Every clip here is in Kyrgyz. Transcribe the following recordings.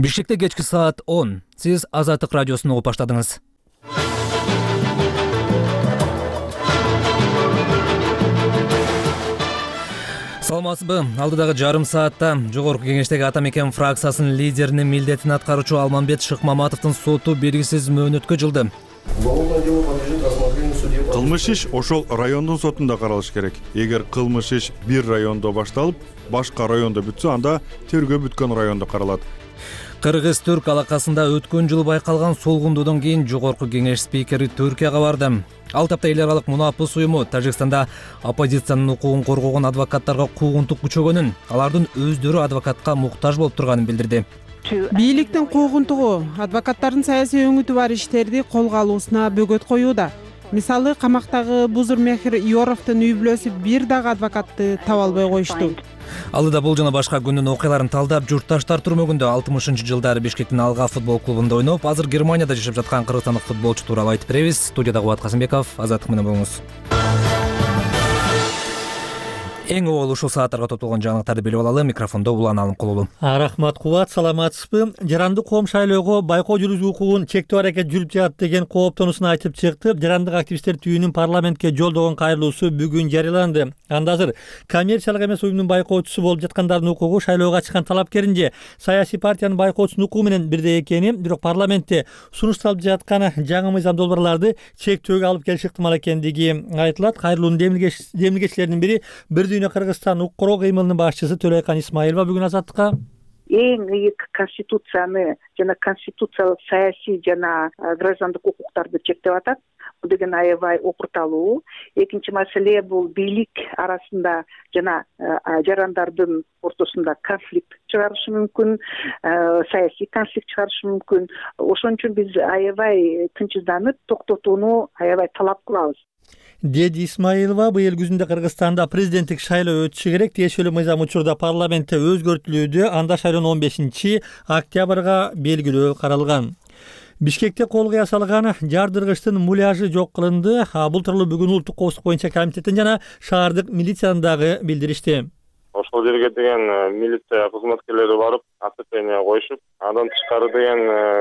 Бишкекте кечки саат 10. Сиз Азаттык радиосун угуп баштадыңыз. Саламатсызбы? Алдыдагы жарым саатта Жогорку Кеңештеги Ата Мекен фракциясынын лидеринин милдетин аткаруучу Алмамбет Шыкмаматовдун соту белгисиз мөөнөткө жылды. Кылмыш иш ошол райондун сотунда каралыш керек. Эгер кылмыш иш бир райондо башталып, башка райондо бүтсө, анда тергөө бүткөн райондо каралат. Кыргыз-түрк алакасында өткөн жылы байкалган солгундуудон кийин Жогорку Кеңеш спикери Түркияга барды. Ал тапта эл аралык мунапыс уюму Тажикстанда оппозициянын укугун коргогон адвокаттарга куугунтук күчөгөнүн, алардын өздөрү адвокатка муктаж болуп турганын билдирди. Бийликтин куугунтугу адвокаттардын саясий өңүтү бар иштерди колго алуусуна бөгөт коюуда. Мисалы, камактагы Бузурмехир Иоровдун үй бүлөсү бир дагы адвокатты таба албай коюшту. Алдыда бул жана башка күндүн окуяларын талдап, журтташтар түрмөгүндө 60-жылдары Бишкектин Алга футбол клубунда ойноп, азыр Германияда жашап жаткан кыргызстандык футболчу тууралуу айтып беребиз. Студияда Кубат Касымбеков, Азаттык менен болуңуз. Эң обол ушул сааттарга топтолгон жаңылыктарды билип алалы. Микрофондо Улан Алымкулуу. Рахмат Кубат, саламатсызбы? Жарандык коом шайлоого байкоо жүргүзүү укугун чектөө аракет жүрүп жатат деген кооптонуусун айтып чыкты. Жарандык активисттер түйүнүн парламентке жолдогон кайрылуусу бүгүн жарыяланды. Анда азыр коммерциялык эмес уюмдун байкоочусу болуп жаткандардын укугу шайлоого чыккан талапкерин же саясий партиянын байкоочусунун укугу менен бирдей экени, бирок парламентте сунушталып жаткан жаңы мыйзам долбоорларды чектөөгө алып келиш ыктымал экендиги айтылат. Кайрылуунун демилгечилеринин бири Бир Кыргызстан укук коргоо кыймылынын башчысы Төлөйкан Исмаилова бүгүн Азаттыкка эң ыйык конституцияны жана конституциялык саясий жана граждандык укуктарды чектеп атат. Бул деген аябай опурталуу. Экинчи маселе бул бийлик арасында жана жарандардын ортосунда конфликт чыгарышы мүмкүн, саясий конфликт чыгарышы мүмкүн. Ошон үчүн биз аябай тынчсызданып, токтотууну аябай талап кылабыз. Деди Исмаилова быйыл күзүндө Кыргызстанда президенттик шайлоо өтүшү керек. Тиешелүү мыйзам учурда парламентте өзгөртүлүүдө, анда шайлоонун 15-октябрга белгилөө каралган. Бишкекте колго ясалган жардыргычтын муляжы жок кылынды. Бул тууралуу бүгүн улуттук коопсуздук боюнча комитеттин жана шаардык милицияны дагы билдиришти. Ошол жерге деген милиция кызматкерлери барып, оцепление коюшуп, андан тышкары деген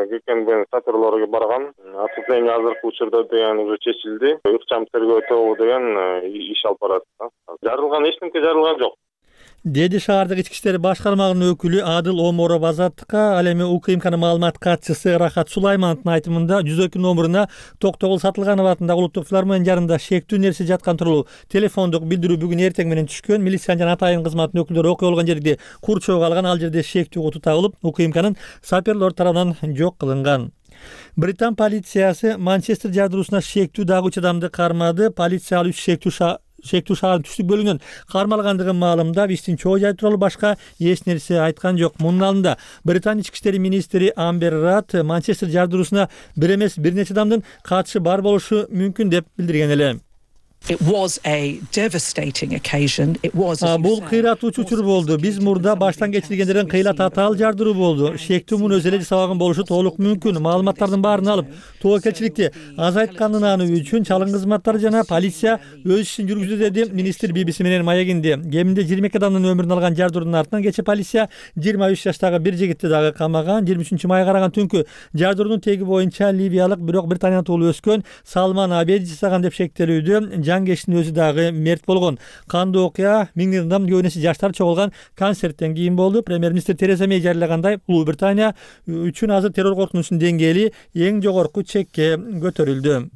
ГКНБнын саперлери барган. Оцепление азыркы учурда деген уже чечилди. Ыкчам тергөө тобу деген иш алып барат. Жарылган эчтеке жарылган жок. Деди шаардык ички иштер башкармагынын өкүлү Адыл Оморов Азаттыкка. Ал эми УКМКнын маалымат катчысы Рахат Сулаймановдун айтымында 102 номуруна Токтогул Сатылганов атындагы улуттук филармония жарында шектүү нерсе жаткан тууралуу телефондук билдирүү бүгүн эртең менен түшкөн. Милициянын жана атайын кызматтын өкүлдөрү окуя болгон жерди курчоого алган. Ал жерде шектүү куту табылып, УКМКнын саперлер тарабынан жок кылынган. Британ полициясы Манчестер жардыруусуна шектүү дагы 3 адамды кармады. Полиция ал 3 шектүү шаардын түштүк бөлүгүнөн кармалгандыгын маалымдап, иштин чоо жай тууралуу башка эч нерсе айткан жок. Мунун алдында Британ ички иштер министри Амбер Рад Манчестер жардыруусуна бир эмес бир нече адамдын катышы бар болушу мүмкүн деп билдирген эле. Бул кыйратуучу учур болду. Биз мурда баштан кечиргендердин кыйла татаал жардыруу болду. Шектүү муну өзү эле жасабаган болушу толук мүмкүн. Маалыматтардын баарын алып, тобокелчиликти азайтканын үчүн чалым кызматтары жана полиция өз ишин жүргүздү, деди министр BBC менен маегинде. Кеминде 22 адамдын өмүрүн алган жардыруунун артынан кече полиция 23 жаштагы бир жигитти дагы камаган. 23 майга караган түнкү жардыруунун теги боюнча ливиялык, бирок Британияда туулуп өскөн Салман Абеди жасаган деп шектелүүдө. Жангештин өзү дагы мерт болгон. Кандуу окуя миңдеген адам көбүнесе жаштар чогулган концерттен кийин болду. Премьер-министр Тереза Мей жарыялагандай, Улуу Британия үчүн азыр террор коркунучунун деңгээли эң жогорку чекке көтөрүлдү.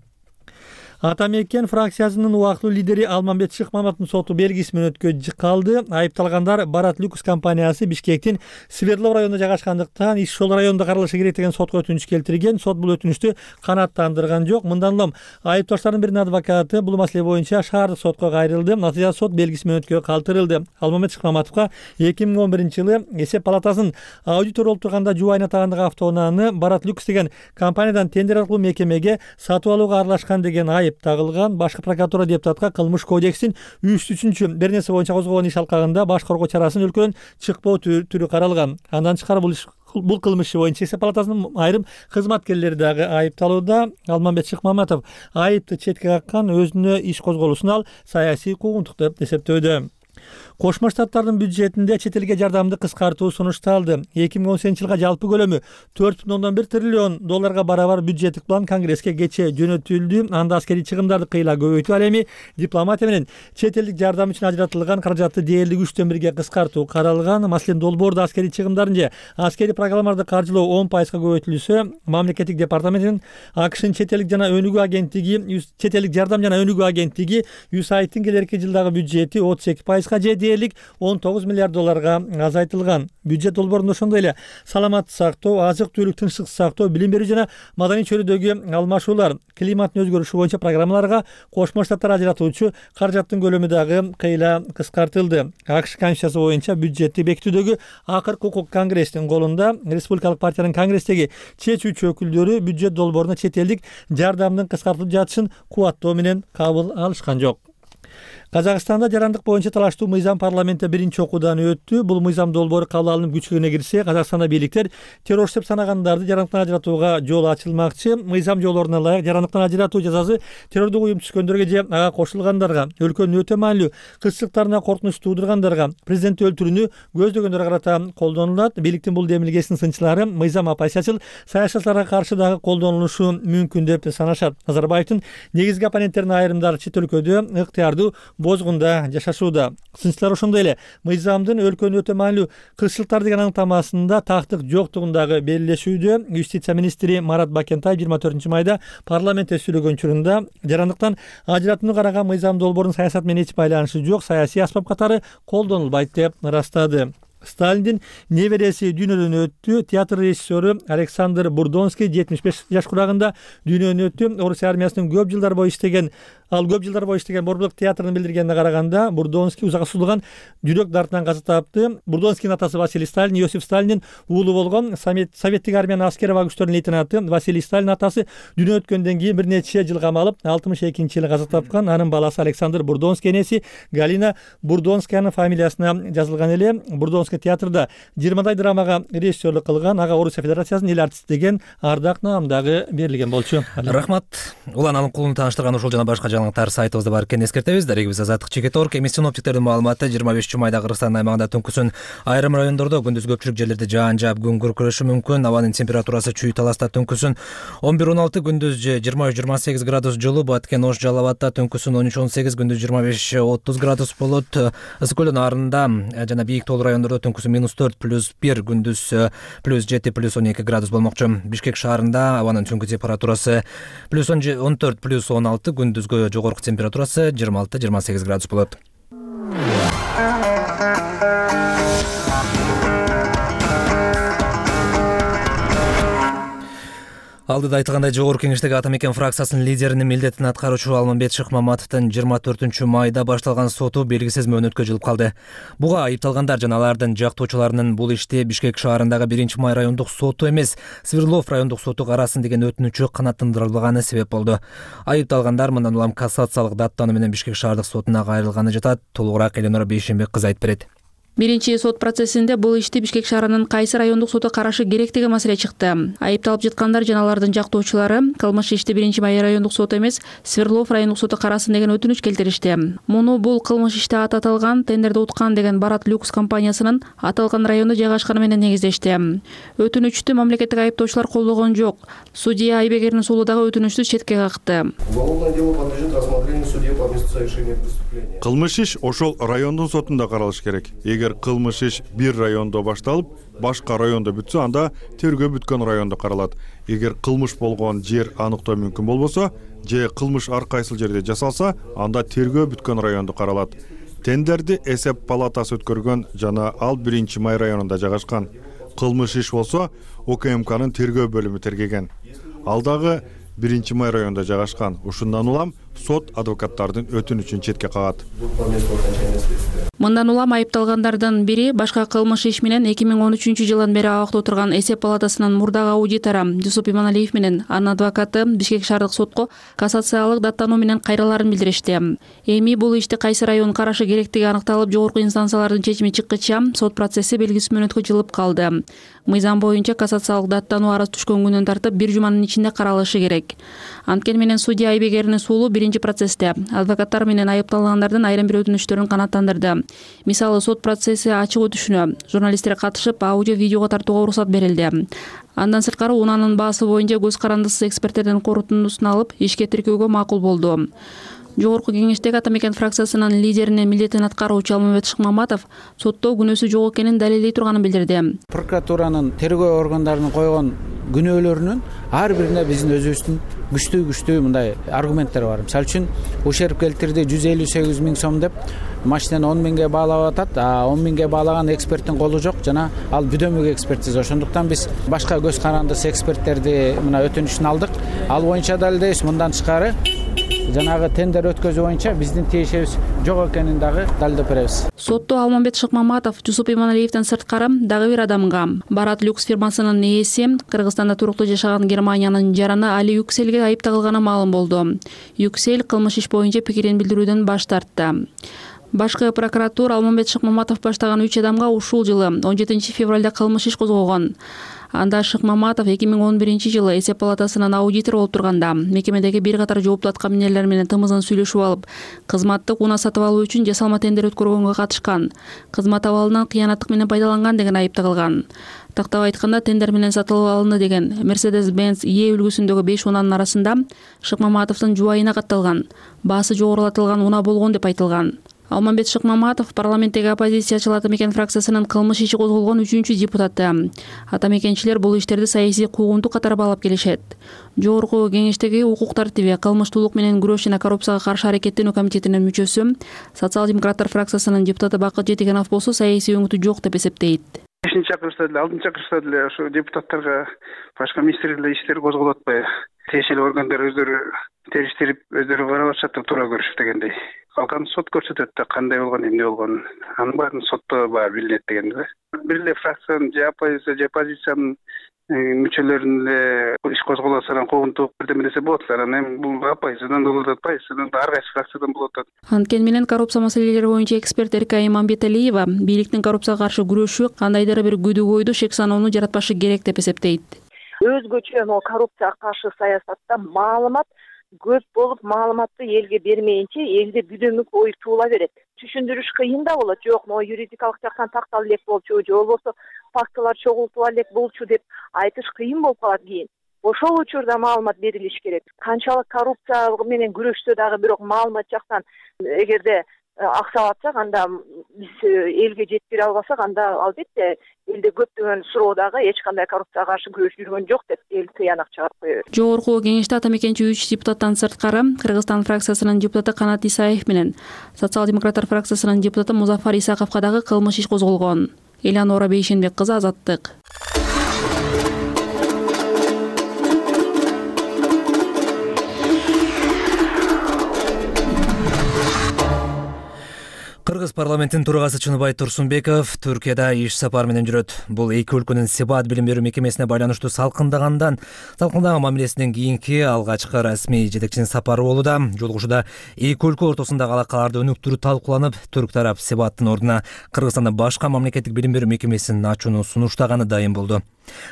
Ата Мекен фракциясынын убактылуу лидери Алмамбет Шыкмаматовдун соту белгисиз мөөнөткө калды. Айыпталгандар Барат Люкс компаниясы Бишкектин Свердлов районунда жайгашкандыктан иш ошол райондо каралышы керек деген сотко өтүнүч келтирген. Сот бул өтүнүчтү канааттандырган жок. Мындан улам айыпташтардын биринин адвокаты бул маселе боюнча шаардык сотко кайрылды. Натыйжада сот белгисиз мөөнөткө калтырылды. Алмамбет Шыкмаматовго 2011-жылы эсеп палатасынын аудитор болуп турганда жубайына тагындагы автоунааны Барат Люкс деген компаниядан тендер аркылуу мекемеге сатып алууга аралашкан деген айып тагылган. Башкы прокуратура депутатка кылмыш кодекстин 3-3 бир нерсе боюнча козгогон иш алкагында баш коргоо чарасын өлкөдөн чыкпоо түрү каралган. Андан тышкары бул кылмыш боюнча эсеп палатасынын айрым кызматкерлери дагы айыпталууда. Алмамбет Шыкмаматов айыпты четке каккан, өзүнө иш козголуусун ал саясий куугунтук деп эсептөөдө. Кошмо Штаттардын бюджетинде чет элге жардамды кыскартуу сунушталды. 2018-жылга жалпы көлөмү 4,1 триллион долларга барабар бюджеттик план Конгресске кечээ жөнөтүлдү. Анда аскерий чыгымдарды кыйла көбөйтүү, ал эми дипломатия менен чет элдик жардам үчүн ажыратылган каражатты дээрлик 3/1 кыскартуу каралган. Маселен, долбоордо аскерий чыгымдарын же аскерий программаларды каржылоо 10% көбөйтүлсө, мамлекеттик департаментинин АКШнын чет элдик жана өнүгүү агенттиги, чет элдик жардам жана өнүгүү агенттиги USAIDтин келерки жылдагы бюджети 32% же дээрлик 19 миллиард долларга азайтылган. Бюджет долбоорунда ошондой эле саламаттык сактоо, азык-түлүк, тынчсыздык сактоо, билим берүү жана маданий чөйрөдөгү алмашуулар, климаттын өзгөрүшү боюнча программаларга Кошмо Штаттар ажыратуучу каражаттын көлөмү дагы кыйла кыскартылды. АКШ Конституциясы боюнча бюджетти бекитүүдөгү акыркы укук Конгресстин колунда. Республикалык партиянын Конгресстеги чечүүчү өкүлдөрү бюджет долбооруна чет элдик жардамдын кыскартылып жатышын кубаттоо менен кабыл алышкан жок. Казакстанда жарандык боюнча талаштуу мыйзам парламентте биринчи окуудан өттү. Бул мыйзам долбоору кабыл алынып күчүнө кирсе, Казакстанда бийликтер террорчу деп санагандарды жарандыктан ажыратууга жол ачылмакчы. Мыйзам жолдоруна ылайык жарандыктан ажыратуу жазасы террордук уюм түзгөндөргө же ага кошулгандарга, өлкөнүн өтө маанилүү кызчылыктарына коркунуч туудургандарга, президентти өлтүрүүнү көздөгөндөргө карата колдонулат. Бийликтин бул демилгесинин сынчылары мыйзам оппозициячыл саясатчыларга каршы дагы колдонулушу мүмкүн деп санашат. Назарбаевдин негизги оппоненттеринин айрымдары чет өлкөдө ыктыярдуу бозгунда жашашууда. Сынчылар ошондой эле мыйзамдын өлкөнүн өтө маанилүү кызчылыктар деген аныктамасында тактык жоктугундагы белгилешүүдө. Юстиция министри Марат Бакентаев 24-майда парламентте сүйлөгөн учурунда жарандыктан ажыратууну караган мыйзам долбоорунун саясат менен эч байланышы жок, саясий аспап катары колдонулбайт деп ырастады. Сталиндин небереси дүйнөдөн өттү. Театр режиссеру Александр Бурдонский 75 жаш курагында дүйнөдөн өттү. Орус армиясынын көп жылдар бою иштеген Борбулук театрын билдиргенине караганда Бурдонский узакка созулган жүрөк дартынан каза тапты. Бурдонскийдин атасы Василий Сталин, Иосиф Сталиндин уулу болгон советтик армиянын аскер аба күчтөрүнүн лейтенанты Василий Сталин атасы дүйнө өткөндөн кийин бир нече жыл камалып 62-жылы каза тапкан. Анын баласы Александр Бурдонский энеси Галина Бурдонскаянын фамилиясына жазылган эле. Бурдонский театрда 20 драмага режиссерлук кылган. Ага Орусия Федерациясынын эл артисти деген ардак наам дагы берилген болчу. Рахмат. Улан Алымкуловну тааныштырган ушул жана башка жаңылыктар сайтыбызда бар экенин эскертебиз. Дарегибиз Азаттык Чекет.орг. Эми синоптиктердин маалыматы 25-майда Кыргызстандын аймагында түнкүсүн айрым райондордо, күндүз көпчүлүк жерлерде жаан жаап күн күркүрөшү мүмкүн. Абанын температурасы Чүй Таласта түнкүсүн 11-16, күндүз 23-28 градус жылуу. Баткен Ош Жалал Абадта түнкүсүн 13-18, күндүз 25-30 градус болот. Ысык көл нарында жана бийик тоолуу райондордо түнкүсүн -4 +1, күндүз +7 +12 градус болмокчу. Бишкек шаарында абанын түнкү температурасы +14 +16, күндүзгө жогорку температурасы 26-28 градус болот. Алдыда айтылгандай, жогорку кеңештеги Ата Мекен фракциясынын лидеринин милдетин аткаруучу Алмамбет Шыкмаматовдун 24-майда башталган соту белгисиз мөөнөткө жылып калды. Буга айыпталгандар жана алардын жактоочуларынын бул ишти Бишкек шаарындагы 1-май райондук соту эмес, Свердлов райондук соту карасын деген өтүнүчү канааттандырылбаганы себеп болду. Айыпталгандар мындан улам кассациялык даттануу менен Бишкек шаардык сотуна кайрылганы жатат. Толугураак Эленора Бейшенбек кызы айтып берет. Биринчи сот процессинде бул ишти Бишкек шаарынын кайсы райондук соту карашы керек деген маселе чыкты. Айыпталып жаткандар жана алардын жактоочулары кылмыш ишти 1-май райондук соту эмес, Свердлов райондук соту карасын деген өтүнүч келтиришти. Муну бул кылмыш иште аталган тендерди уткан деген Барат Люкс компаниясынын аталган райондо жайгашканы менен негиздешти. Өтүнүчтү мамлекеттик айыптоочулар колдогон жок. Судья Айбегердин сулу дагы өтүнүчтү четке какты. Кылмыш иш ошол райондун сотунда каралыш керек. Эгер кылмыш иш бир райондо башталып, башка райондо бүтсө, анда тергөө бүткөн райондо каралат. Эгер кылмыш болгон жер аныктоо мүмкүн болбосо, же кылмыш ар кайсыл жерде жасалса, анда тергөө бүткөн райондо каралат. Тендерди эсеп палатасы өткөргөн жана ал 1-май районунда жайгашкан. Кылмыш иш болсо, ОКМКнын тергөө бөлүмү тергеген. Ал дагы 1-май районунда жайгашкан. Ушундан улам сот адвокаттардын өтүнүчүн четке кагат. Мындан улам айыпталгандардын бири башка кылмыш иш менен 2013-жылдан бери абакта отурган эсеп палатасынын мурдагы аудитору Жусуп Иманалиев менен анын адвокаты Бишкек шаардык сотко кассациялык даттануу менен кайраларын билдиришти. Эми бул ишти кайсы район карашы керектиги аныкталып, жогорку инстанциялардын чечими чыккыча сот процесси белгисиз мөөнөткө жылып калды. Мыйзам боюнча кассациялык даттануу арыз түшкөн күндөн тартып 1 жуманын ичинде каралышы керек. Анткени менен судья Айбегердин сулу биринчи процессте адвокаттар менен айыпталгандардын айрым бир өтүнүчтөрүн канааттандырды. Мисалы, сот процесси ачык өтүшүнө журналисттер катышып, аудио видеого тартууга уруксат берилди. Андан сырткары унаанын баасы боюнча көз карандысыз эксперттердин корутундусун алып, ишке тиркөөгө макул болду. Жогорку кеңештеги Ата Мекен фракциясынын лидеринин милдетин аткаруучу Алмамбет Шыкмаматов сотто күнөөсү жок экенин далилдей турганын билдирди. Прокуратуранын тергөө органдарынын койгон күнөөлөрүнүн ар бирине биздин өзүбүздүн күчтүү мындай аргументтер бар. Мисалы үчүн ушерп келтирди 158 000 сом деп машинени 10 000ге баалап атат, 10 000ге баалаган эксперттин колу жок жана ал бүдөмүк экспертиза. Ошондуктан биз башка көз карандысыз эксперттерди мына өтүнүшүн алдык. Ал боюнча далилдейбиз. Мындан тышкары жанагы тендер өткөзүү боюнча биздин тиешебиз жок экенин дагы далилдеп беребиз. Сотто Алмамбет Шыкмаматов Жусуп Иманалиевден сырткары дагы бир адамга, Барат Люкс фирмасынын ээси, Кыргызстанда туруктуу жашаган Германиянын жараны Али Юкселге айып тагылганы маалым болду. Юксел кылмыш иш боюнча пикирин билдирүүдөн баш тартты. Башкы прокуратура Алмамбет Шыкмаматов баштаган 3 адамга ушул жылы 17 февралда кылмыш иш козгогон. Анда Шыкмаматов 2011 жылы эсеп палатасынын аудитор болуп турганда мекемедеги бир катар жооптуу аткаминерлер менен тымызын сүйлөшүп алып, кызматтык унаа сатып алуу үчүн жасалма тендер өткөргөнгө катышкан, кызмат абалынан кыянаттык менен пайдаланган деген айып тагылган. Тактап айтканда, тендер менен сатылып алынды деген Mercedes-Benz Е үлгүсүндөгү 5 унаанын арасында Шыкмаматовдун жубайына катталган, баасы жогорулатылган унаа болгон деп айтылган. Алмамбет Шыкмаматов парламенттеги оппозициячыл Ата Мекен фракциясынын кылмыш иши козголгон 3-чү депутаты. Ата Мекенчилер бул иштерди саясий куугунтук катары баалап келишет. Жогорку кеңештеги укук тартиби, кылмыштуулук менен күрөш жана коррупцияга каршы аракеттенүү комитетинин мүчөсү, социал-демократтар фракциясынын депутаты Бакыт Жетигенов болсо саясий өңүтү жок деп эсептейт. 5-чи чакырышта деле, 6-чы чакырышта деле ошо депутаттарга башка министрликтер иштер козголуп атпайбы? Тиешелүү органдар өздөрү териштирип, өздөрү карап атышат деп туура көрүшүп дегендей. Калган сот көрсөтөт да кандай болгон, эмне болгон. Анын баарын сотто баары билинет дегенди. Бир эле фракциянын же оппозициянын мүчөлөрүнүн эле иш козголосунан куугунтук бирдеме десе болот. Анан эми бул оппозициядан болот, оппозициядан ар кайсы фракциядан болот. Анткени менен коррупция маселелери боюнча эксперт Эрка Иманбеталиева бийликтин коррупцияга каршы күрөшү кандайдыр бир күдү-койду, шек саноону жаратпашы керек деп эсептейт. Өзгөчө коррупцияга каршы саясатта маалымат көп болуп, маалыматты элге бермейинче элде бүдөмүк ой туула берет. Түшүндүрүш кыйын да болот. Жок, юридикалык жактан тактала элек болчу, же болбосо фактылар чогултула элек болчу деп айтыш кыйын болуп калат кийин. Ошол учурда маалымат берилиш керек. Канчалык коррупция менен күрөштө дагы бирок маалымат жактан эгерде аксап атсак, анда биз элге жеткире албасак, анда албетте элде көптөгөн суроо дагы эч кандай коррупцияга каршы күрөш жүргөн жок деп эл тыянак чыгарып коёбуз. Жогорку кеңеште Ата Мекенчи 3 депутаттан сырткары Кыргызстан фракциясынын депутаты Канат Исаев менен социал-демократтар фракциясынын депутаты Музафар Исаковго дагы кылмыш иш козголгон. Элянора Бейшенбек кызы, Азаттык. Кыргыз парламентинин төрагасы Чыныбай Турсунбеков Түркияда иш сапар менен жүрөт. Бул эки өлкөнүн Себат билим берүү мекемесине байланыштуу салкындаган мамилесинен кийинки алгачкы расмий жетекчинин сапары болууда. Жолугушууда эки өлкө ортосундагы алакаларды өнүктүрүү талкууланып, түрк тарап Себаттын ордуна Кыргызстанда башка мамлекеттик билим берүү мекемесин ачууну сунуштаганы дайым болду.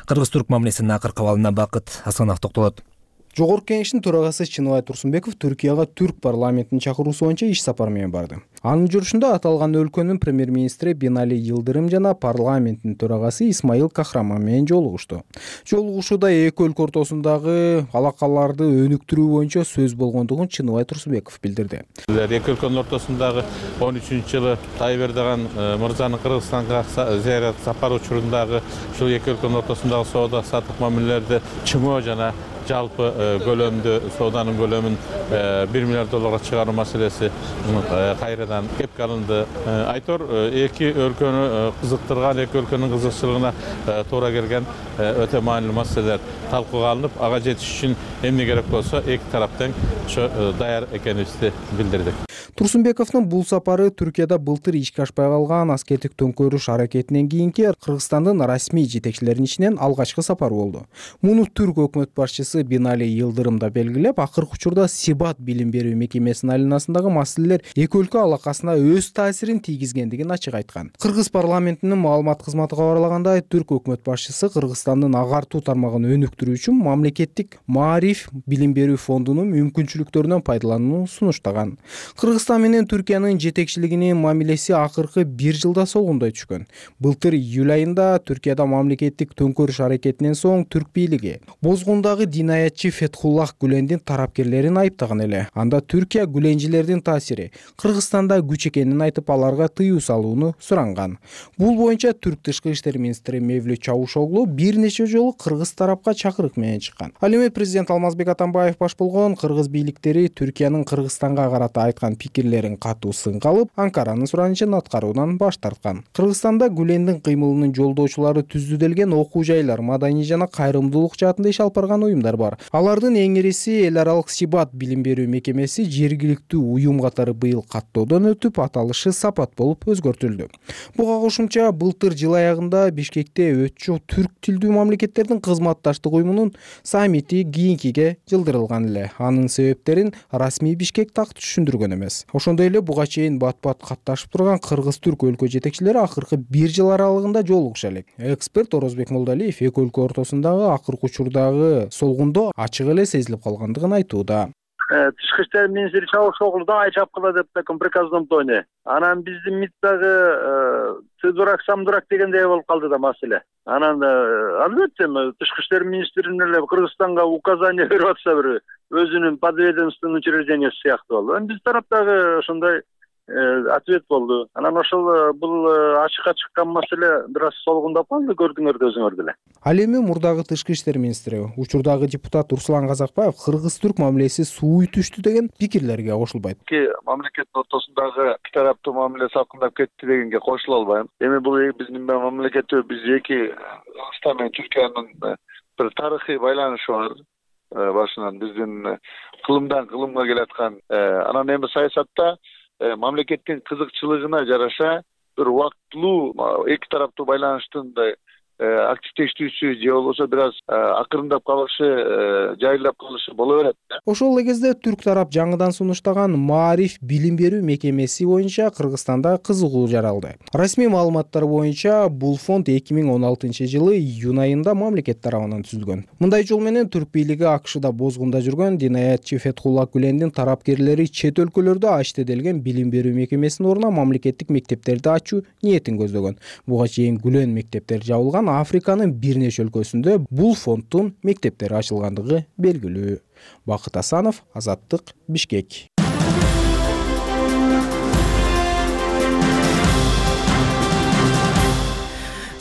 Кыргыз-түрк мамилесинин акыркы абалына Бакыт Асанов токтолот. Жогорку кеңештин төрагасы Чыныбай Турсунбеков Түркияга түрк парламентинин чакыруусу боюнча иш сапар менен барды. Анын жүрүшүндө аталган өлкөнүн премьер-министри Бинали Йылдырым жана парламенттин төрагасы Исмаил Кахраман менен жолугушту. Жолугушууда эки өлкө ортосундагы алакаларды өнүктүрүү боюнча сөз болгондугун Чыныбай Турсунбеков билдирди. Эки өлкөнүн ортосундагы 13-жылы Тайып Эрдоган мырзанын Кыргызстанга зыярат сапары учурундагы ушул эки өлкөнүн ортосундагы соода саттык мамилелерди чыңоо жана жалпы көлөмдө сооданын көлөмүн $1 миллиард чыгаруу маселеси кайрадан кепке алынды. Айтор эки өлкөнү кызыктырган, эки өлкөнүн кызыкчылыгына туура келген өтө маанилүү маселелер талкууга алынып, ага жетиш үчүн эмне керек болсо эки тараптан ошо даяр экенибизди билдирдик. Турсунбековдун бул сапары Түркияда былтыр ишке ашпай калган аскердик төңкөрүш аракетинен кийинки Кыргызстандын расмий жетекчилеринин ичинен алгачкы сапар болду. Муну түрк өкмөт башчысы Бинали Йылдырым да белгилеп, акыркы учурда Сибат билим берүү мекемесинин айланасындагы маселелер эки өлкө алакасына өз таасирин тийгизгендигин ачык айткан. Кыргыз парламентинин маалымат кызматы кабарлагандай, түрк өкмөт башчысы Кыргызстандын агартуу тармагын өнүктүрүү үчүн мамлекеттик Маариф билим берүү фондунун мүмкүнчүлүктөрүнөн пайдаланууну сунуштаган. Кыргызстан менен Түркиянын жетекчилигинин мамилеси акыркы 1 жылда солгундой түшкөн. Былтыр июль айында Түркияда мамлекеттик төңкөрүш аракетинен соң түрк бийлиги бозгундагы динаятчы Фетхуллах Гүлендин тарапкерлерин айыптаган эле. Анда Түркия гүленчилердин таасири Кыргызстанда күч экенин айтып, аларга тыюу салууну суранган. Бул боюнча түрк тышкы иштер министри Мевлют Чавушоглу бир нече жолу кыргыз тарапка чакырык менен чыккан. Ал эми президент Алмазбек Атамбаев баш болгон кыргыз бийликтери Түркиянын Кыргызстанга карата айткан пикирлерин катуу сынга алып, Анкаранын суранычын аткаруудан баш тарткан. Кыргызстанда Гүлендин кыймылынын жолдоочулары түзүлдүлген окуу жайлар, маданий жана кайрымдуулук жаатында иш алып барган уюмдар бар. Алардын эң ириси эл аралык Сибат билим берүү мекемеси жергиликтүү уюм катары быйыл каттоодон өтүп, аталышы Сапат болуп өзгөртүлдү. Буга кошумча былтыр жыл аягында Бишкекте өтчү түрк тилдүү мамлекеттердин кызматташтык уюмунун саммити кийинкиге жылдырылган эле. Анын себептерин расмий Бишкек так түшүндүргөн эмес. Ошондой эле буга чейин бат-бат катташып турган кыргыз-түрк өлкө жетекчилери акыркы 1 жыл аралыгында жолугуша элек. Эксперт Орозбек Молдалиев эки өлкө ортосундагы акыркы учурдагы солгундоо ачык эле сезилип калгандыгын айтууда. Тышкы иштер министри Чавушоглу дагы чапкыла деп таком приказном тоне. Анан биздин МИД дагы ты дурак, сам дурак дегендей болуп калды да маселе. Анан албетте тышкы иштер министринин эле Кыргызстанга указание берип атса, бир өзүнүн подведомственный учреждениясы сыяктуу болду. Биз тараптагы ошондой ответ болду. Анан ошол бул ачыкка чыккан маселе бир аз солгундап калды, көрдүңөр да өзүңөр деле. Ал эми мурдагы тышкы иштер министри, учурдагы депутат Руслан Казакбаев кыргыз-түрк мамилеси сууй түштү деген пикирлерге кошулбайт. Мамлекеттин ортосундагы эки тараптуу мамиле салкындап кетти дегенге кошула албайм. Эми бул биздин мамлекетте биз эки Кыргызстан менен Түркиянын бир тарыхый байланышы бар. Башынан биздин кылымдан кылымга келаткан. Анан эми саясатта мамлекеттин кызыкчылыгына жараша бир убактылуу эки тараптуу байланыштын активдештүүсү же болбосо бир аз акырындап калышы, жайылдап калышы боло берет. Ошол эле кезде түрк тарап жаңыдан сунуштаган Маариф билим берүү мекемеси боюнча Кыргызстанда кызыгуу жаралды. Расмий маалыматтар боюнча бул фонд 2016 жылы июнь айында мамлекет тарабынан түзүлгөн. Мындай жол менен түрк бийлиги АКШда бозгунда жүргөн динаятчы Фетхуллах Гүлендин тарапкерлери чет өлкөлөрдө ачтеделген билим берүү мекемесинин ордуна мамлекеттик мектептерди ачуу ниетин көздөгөн. Буга чейин Гүлен мектептери жабылган Африканын бир нече өлкөсүндө бул фонддун мектептери ачылгандыгы белгилүү. Бакыт Асанов, Азаттык, Бишкек.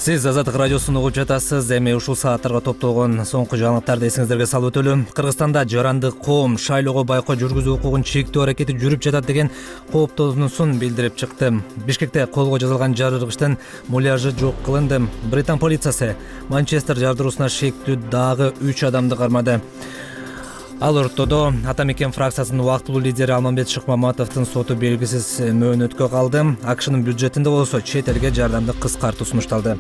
Сиз Азаттык радиосун угуп жатасыз. Эми ушул сааттарга топтолгон соңку жаңылыктарды эсиңиздерге салып өтөлү. Кыргызстанда жарандык коом шайлоого байкоо жүргүзүү укугун чектөө аракети жүрүп жатат деген кооптонуусун билдирип чыкты. Бишкекте колго жазылган жарылгычтын муляжы жок кылынды. Британ полициясы Манчестер жардыруусуна шектүү дагы 3 адамды кармады. Ал ортодо Ата мекен фракциясынын убактылуу лидери Алмамбет Шыкмаматовдун соту белгисиз мөөнөткө калды. АКШнын бюджетинде болсо чет элге жардамды кыскартуу сунушталды.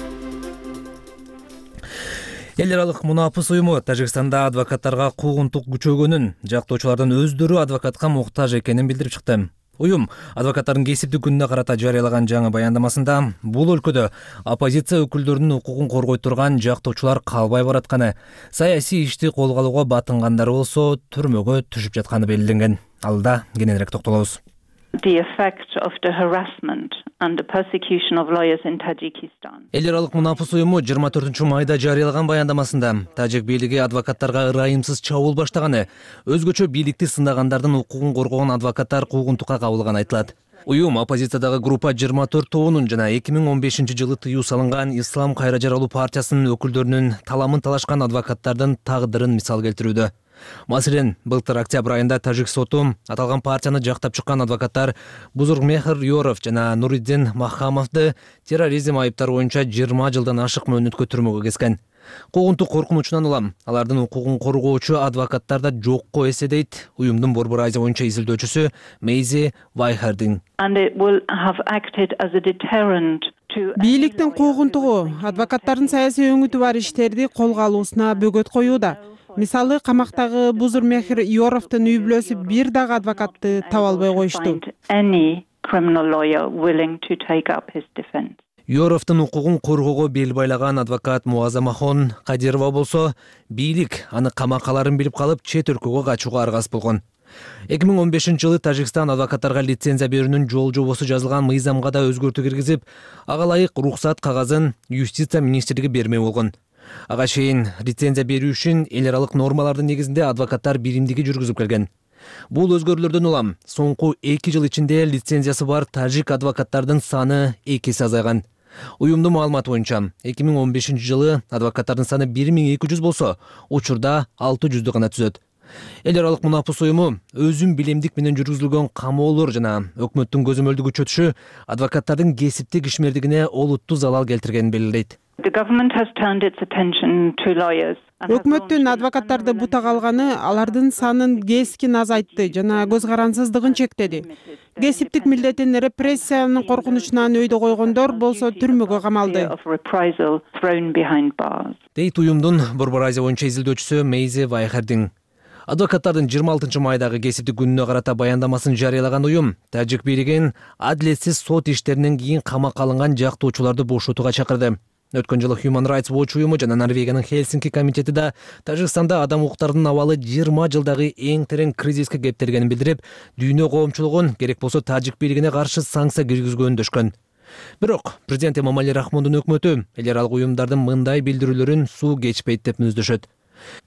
Эл аралык мунапыс уюму Тажикстанда адвокаттарга куугунтук күчөгөнүн, жактоочулардын өздөрү адвокатка муктаж экенин билдирип чыкты. Уюм адвокаттардын кесиптик күнүнө карата жарыялаган жаңы баяндамасында бул өлкөдө оппозиция өкүлдөрүнүн укугун коргой турган жактоочулар калбай баратканы, саясий ишти колго алууга батынгандар болсо түрмөгө түшүп жатканы белгиленген. Алда кененирээк токтолобуз. The effect of the harassment and the persecution of lawyers in Tajikistan. Эл аралык мунапыс уюму 24 майда жарыялаган баяндамасында тажик бийлиги адвокаттарга ырайымсыз чабуул баштаганы, өзгөчө бийликти сындагандардын укугун коргогон адвокаттар куугунтукка кабылганы айтылат. Уюм оппозициядагы группа 24 тобунун жана 2015 жылы тыюу салынган Ислам кайра жаралуу партиясынын өкүлдөрүнүн таламын талашкан адвокаттардын тагдырын мисал келтирүүдө. Маселен, былтыр октябрь айында тажик соту аталган партияны жактап чыккан адвокаттар Бузургмехр Юров жана Нуриддин Махамовду терроризм айыптары боюнча 20 жылдан ашык мөөнөткө түрмөгө кескен. Куугунтук коркунучунан улам алардын укугун коргоочу адвокаттар да жокко эсе дейт уюмдун Борбор Азия боюнча изилдөөчүсү Мейзи Вайхардин. Бийликтин куугунтугу адвокаттардын саясий өңүтү бар иштерди колго алуусуна бөгөт коюуда. Мисалы, камактагы Бузурмехир Йоровдун үй бүлөсү бир дагы адвокатты таба албай коюшту. Йоровдун укугун коргоого бел байлаган адвокат Муазамахон Кадирова болсо, бийлик аны камакаларын билип калып, чет өлкөгө качууга аргасыз болгон. 2015-жылы Тажикстан адвокаттарга лицензия берүүнүн жол жобосу жазылган мыйзамга да өзгөртүү киргизип, ага ылайык рухсат кагазын Юстиция министрлиги бермей болгон. Ага чейин лицензия берүү үчүн эл аралык нормалардын негизинде адвокаттар биримдиги жүргүзүп келген. Бул өзгөрүүлөрдөн улам соңку 2 жыл ичинде лицензиясы бар тажик адвокаттардын саны 2 эсе азайган. Уюмдун маалыматы боюнча 2015-жылы адвокаттардын саны 1200 болсо, учурда 600 гана түзөт. Эл аралык мунапыс уюму өзүн билемдик менен жүргүзүлгөн камоолор жана өкмөттүн көзөмөлдүгү чөтүшү адвокаттардын кесиптик ишмердигине олуттуу залал келтиргенин белгилейт. Өкмөттүн адвокаттарды бутак алганы алардын санын кескин азайтты жана көз карансыздыгын чектеди. Кесиптик милдетин репрессиянын коркунучунан өйдө койгондор болсо түрмөгө камалды. Дейт уюмдун Борбор Азия боюнча изилдөөчүсү Мейзи Вайхардин. Адвокаттардын 26 майдагы кесиптик күнүнө карата баяндамасын жарыялаган уюм тажик бийлигин адилетсиз сот иштеринен кийин камакка алынган жактоочуларды бошотууга чакырды. Өткөн жылы Human Rights Watch уюму жана Норвегиянын Хельсинки комитети да Тажикстанда адам укуктарынын абалы 20 жылдагы эң терең кризиске кептелгенин билдирип, дүйнө коомчулугун керек болсо тажик бийлигине каршы санкция киргизүүгө үндөшкөн. Бирок президент Эмомали Рахмондун өкмөтү эл аралык уюмдардын мындай билдирүүлөрүн суу кечпейт деп мүнөздөшөт.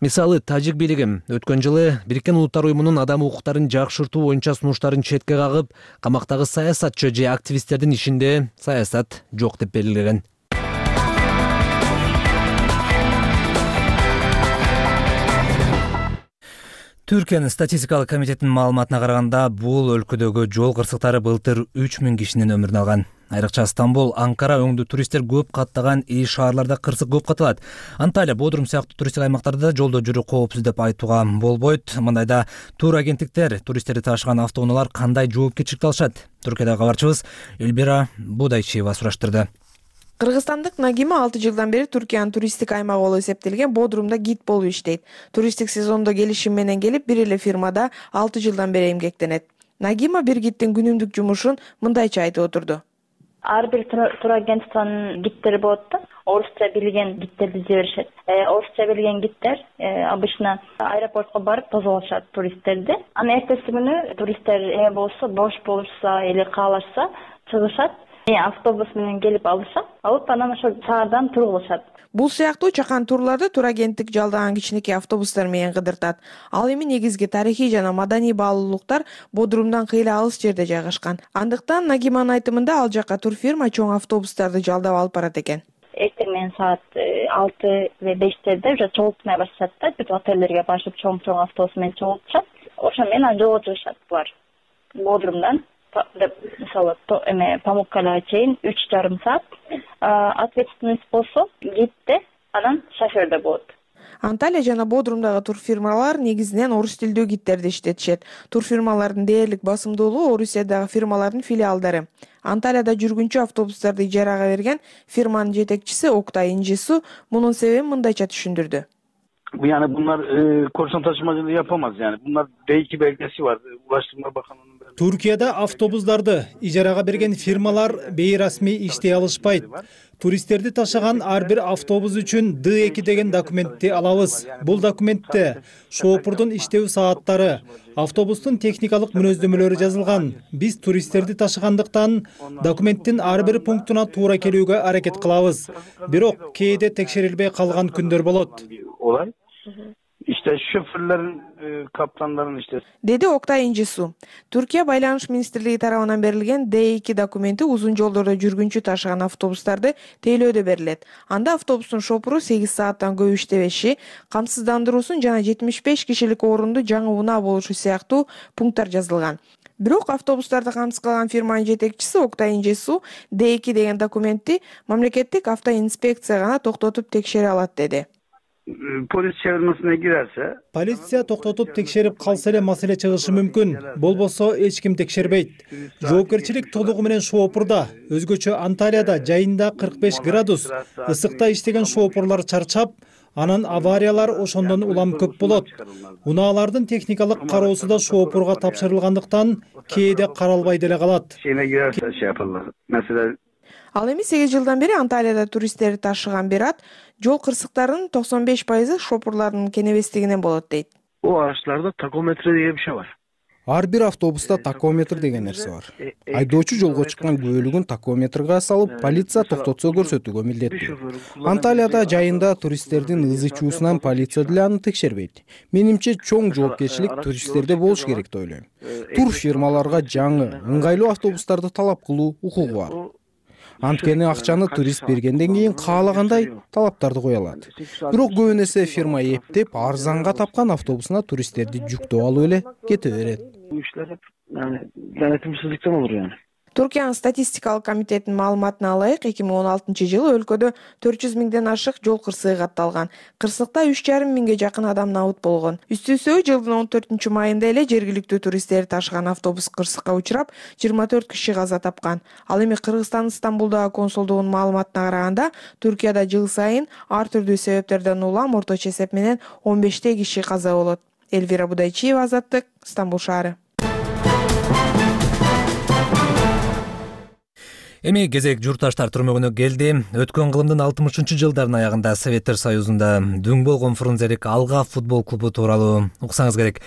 Мисалы, тажик бийлиги өткөн жылы Бириккен Улуттар уюмунун адам укуктарын жакшыртуу боюнча сунуштарын четке кагып, камактагы саясатчы же активисттердин ишинде саясат жок деп белгилеген. Түркиянын статистикалык комитетинин маалыматына караганда, бул өлкөдөгү жол кырсыктары былтыр 3000 кишинин өмүрүн алган. Айрыкча Стамбул, Анкара өңдүү туристтер көп каттаган ий шаарларда кырсык көп катталат. Анталия, Бодрум сыяктуу туристтик аймактарда жолдо жүрүү коопсуз деп айтууга болбойт. Мындайда тур агенттиктер туристтерди ташыган автоунаалар кандай жоопкерчиликти алышат? Түркиядагы кабарчыбыз Эльбира Будайчиева сураштырды. Кыргызстандык Нагима 6 жылдан бери Түркиянын туристтик аймагы болуп эсептелген Бодрумда гид болуп иштейт. Туристтик сезондо келишим менен келип, бир эле фирмада 6 жылдан бери эмгектенет. Нагима бир гидтин күнүмдүк жумушун мындайча айтып отурду. Ар бир турагентствонун гидтери болот да. Орусча билген гидтерди жиберишет. Орусча билген гидтер обычно аэропортко барып тозолошат туристтерди. Анан эртеси күнү туристтер эме болсо, бош болушса или каалашса чыгышат. Автобус менен келип алышат. Алып анан ошол шаардан тургузушат. Бул сыяктуу чакан турларды турагенттик жалдаган кичинекей автобустар менен кыдыртат. Ал эми негизги тарыхый жана маданий баалуулуктар Бодрумдан кыйла алыс жерде жайгашкан. Андыктан Нагиманын айтымында ал жака турфирма чоң автобустарды жалдап алып барат экен. Эртең менен саат 6 же 5-терде уже чогултмай башташат да, бүт отеллерге барышып чоң автобус менен чогултушат. Ошо менен жолго чыгышат булар. Бодрумдан мисалы Памуккалага чейин 3,5 саат. Ответственность болсо гидде, анан шоферде болот. Анталия жана Бодрумдагы турфирмалар негизинен орус тилдүү гидтерди иштетишет. Турфирмалардын дээрлик басымдуулугу Орусиядагы фирмалардын филиалдары. Анталияда жүргүнчү автобустарды ижарага берген фирманын жетекчиси Октай Инжису мунун себебин мындайча түшүндүрдү. Yani bunlar korsan taşımacılığı yapamaz yani. Bunlar D2 belgesi var. Ulaştırma Bakanlığı'nın Türkiye'de avtobuslarda ijaraga bergen firmalar beyrasmi иштей алышпайт. Туристтерди ташыган ар бир автобус үчүн D2 деген документти алабыз. Бул документте шоопурдун иштөө сааттары, автобустун техникалык мүнөздөмөлөрү жазылган. Биз туристтерди ташыгандыктан документтин ар бир пунктуна туура келүүгө аракет кылабыз. Бирок кээде текшерилбей калган күндөр болот. Olay. İşte şoförlerin, kaptanların işte. Dedi Oktay İncesu. Türkiye Байланыш Министрлиги тарабынан берилген D2 документи узун жолдордо жүргүнчү ташыган автобустарды тейлөөдө берилет. Анда автобустун шопуру 8 сааттан көп иштебеши, камсыздандыруусун жана 75 кишилик орунду жаңы унаа болушу сыяктуу пункттар жазылган. Бирок автобустарды камсыз кылган фирманын жетекчиси Октай Инжесу D2 деген документти мамлекеттик автоинспекция гана токтотуп текшере алат деди. полиция чыгармасына кирерсе, полиция токтотуп текшерип калса эле маселе чыгышы мүмкүн. Болбосо эч ким текшербейт. Жоопкерчилик толугу менен шоопурда. Өзгөчө Анталияда жайында 45 градус ысыкта иштеген шоопурлар чарчап, анан авариялар ошондон улам көп болот. Унаалардын техникалык кароосу да шоопурга тапшырылгандыктан кээде каралбай деле калат. Ал эми 8 жылдан бери Анталияда туристтерди ташыган Берат жол кырсыктарынын 95% шопурлардын кенебестигинен болот дейт. O araçlarda takometre diye bir şey var. Ар бир автобуста такометр деген нерсе бар. Айдоочу жолго чыккан күбөлүгүн такометрге салып, полиция токтотсо көрсөтүүгө милдеттүү. Анталияда жайында туристтердин ызы чуусунан полиция деле аны текшербейт. Менимче чоң жоопкерчилик туристтерде болуш керек деп ойлойм. Тур фирмаларга жаңы, ыңгайлуу автобустарды талап кылуу укугу бар. Анткени акчаны турист бергенден кийин каалагандай талаптарды кое алат. Бирок көбүн эсе фирма эптеп арзанга тапкан автобусуна туристтерди жүктөп алып эле кете берет. Bu işler hep yani denetimsizlikten olur yani. Түркиянын статистикалык комитетинин маалыматына ылайык 2016-жылы өлкөдө 400 миңден ашык жол кырсыгы катталган. Кырсыкта 3,5 миңге жакын адам набыт болгон. Үстү-үстүгө жылдын 14-майында эле жергиликтүү туристтерди ташыган автобус кырсыкка учурап, 24 киши каза тапкан. Ал эми Кыргызстандын Стамбулдагы консулдугунун маалыматына караганда, Түркияда жыл сайын ар түрдүү себептерден улам орточо эсеп менен 15 киши каза болот. Элвира Будайчиева, Азаттык, Стамбул шаары. Эми кезек журтташтар түрмөгүнө келди. Өткөн кылымдын 60-жылдардын аягында Советтер Союзунда дүң болгон Фрунзелик Алга футбол клубу тууралуу уксаңыз керек.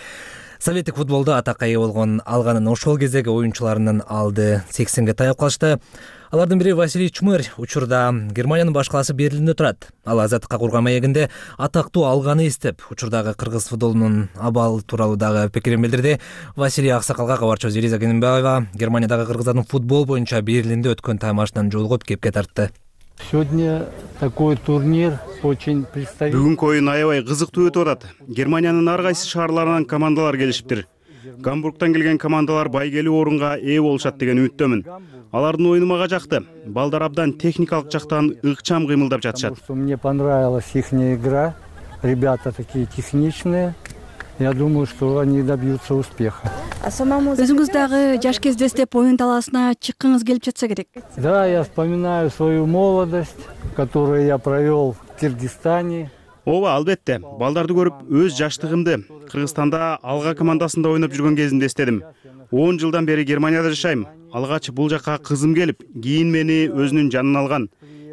Советтик футболдо атакка ээ болгон Алганын ошол кездеги оюнчуларынын алды 80ге таяп калышты. Алардын бири Василий Чмыр учурда Германиянын баш калаасы Берлиндө турат. Ал азаттыкка курган маегинде атактуу Алганы эстеп, учурдагы кыргыз футболунун абалы тууралуу дагы пикирин билдирди. Василий Аксакалга кабарчыбыз Элиза Кененбаева Германиядагы кыргыздардын футбол боюнча Берлинде өткөн таймашынан жолугуп кепке тартты. Сегодня такой турнир очень представитель. Бүгүнкү оюн аябай кызыктуу өтүп атат. Германиянын ар кайсы шаарларынан командалар келишиптир. Гамбургтан келген командалар байгелүү орунга ээ болушат деген үмүттөмүн. Алардын оюну мага жакты. Балдар абдан техникалык жактан ыкчам кыймылдап жатышат. Мне понравилась их игра. Ребята такие техничные. Я думаю, что они добьются успеха. Өзүңүз дагы жаш кезде эстеп оюн талаасына чыккыңыз келип жатса керек. Да, я вспоминаю свою молодость, которую я провел в Кыргызстане. Ооба, албетте. Балдарды көрүп, өз жаштыгымды Кыргызстанда Алга командасында ойноп жүргөн кезимде эстедим. 10 жылдан бери Германияда жашайм. Алгач бул жакка кызым келип, кийин мени өзүнүн жанына алган.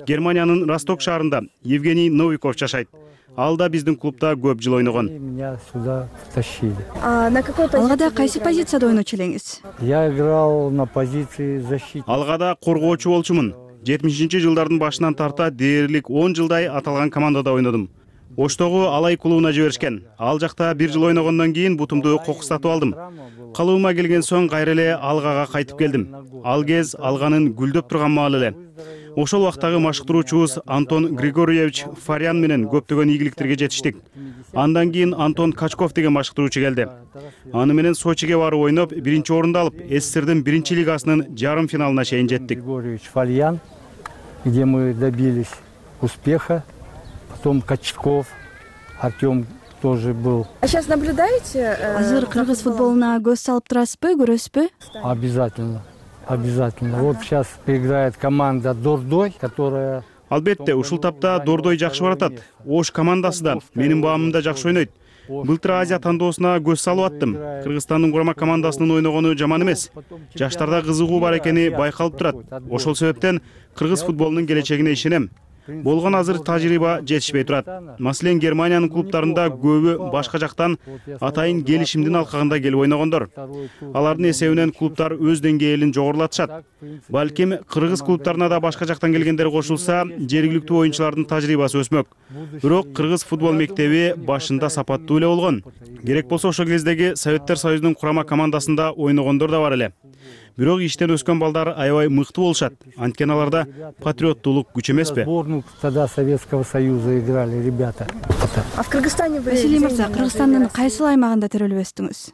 Германиянын Росток шаарында Евгений Новиков жашайт. Ал да биздин клубда көп жыл ойногон. Меня сюда тащили. На какой позиции? Алгада кайсы позицияда ойночу элеңиз? Я играл на позиции защитника. Алгада коргоочу болчумун. 70-жылдардын башынан тарта дээрлик 10 жылдай аталган командада ойнодум. Оштогу Алай клубуна жиберишкен. Ал жакта 1 жыл ойногондон кийин бутумду кокустатып алдым. Калыбыма келген соң кайра эле Алгага кайтып келдим. Ал кез Алганын гүлдөп турган маалы эле. Ошол убактагы машыктыруучубуз Антон Григорьевич Фарян менен көптөгөн ийгиликтерге жетиштик. Андан кийин Антон Качков деген машыктыруучу келди. Аны менен Сочиге барып ойноп, 1-орунду алып, СССРдин 1-лигасынын жарым финалына чейин жеттик. Григорьевич Фарян, где мы добились успеха. Потом Качков, Артем тоже был. А сейчас наблюдаете? Азыр кыргыз футболуна көз салып турасызбы, көрөсүзбү? Обязательно. Обязательно. Вот сейчас играет команда Дордой, которая... Албетте, ушул тапта Дордой жакшы баратат. Ош командасы да менин баамымда жакшы ойнойт. Былтыр Азия тандоосуна көз салып аттым. Кыргызстандын курама командасынын ойногону жаман эмес. Жаштарда кызыгуу бар экени байкалып турат. Ошол себептен кыргыз футболунун келечегине ишенем. Болгон азыр тажрыйба жетишпей турат. Маселен, Германиянын клубтарында көбү башка жактан атайын келишимдин алкагында келип ойногондор. Алардын эсебинен клубтар өз деңгээлин жогорулатышат. Балким кыргыз клубтарына да башка жактан келгендер кошулса, жергиликтүү оюнчулардын тажрыйбасы өсмөк. Бирок кыргыз футбол мектеби башында сапаттуу эле болгон. Керек болсо ошол кездеги Советтер Союзунун курама командасында ойногондор да бар эле. Бирок иштен өскөн балдар аябай мыкты болушат. Анткени аларда патриоттуулук күч эмеспи? Тогда Советского Союза играли ребята. А в Кыргызстане вы... Василий Мырза, Кыргызстандын кайсы аймагында терөлүп өстүңүз?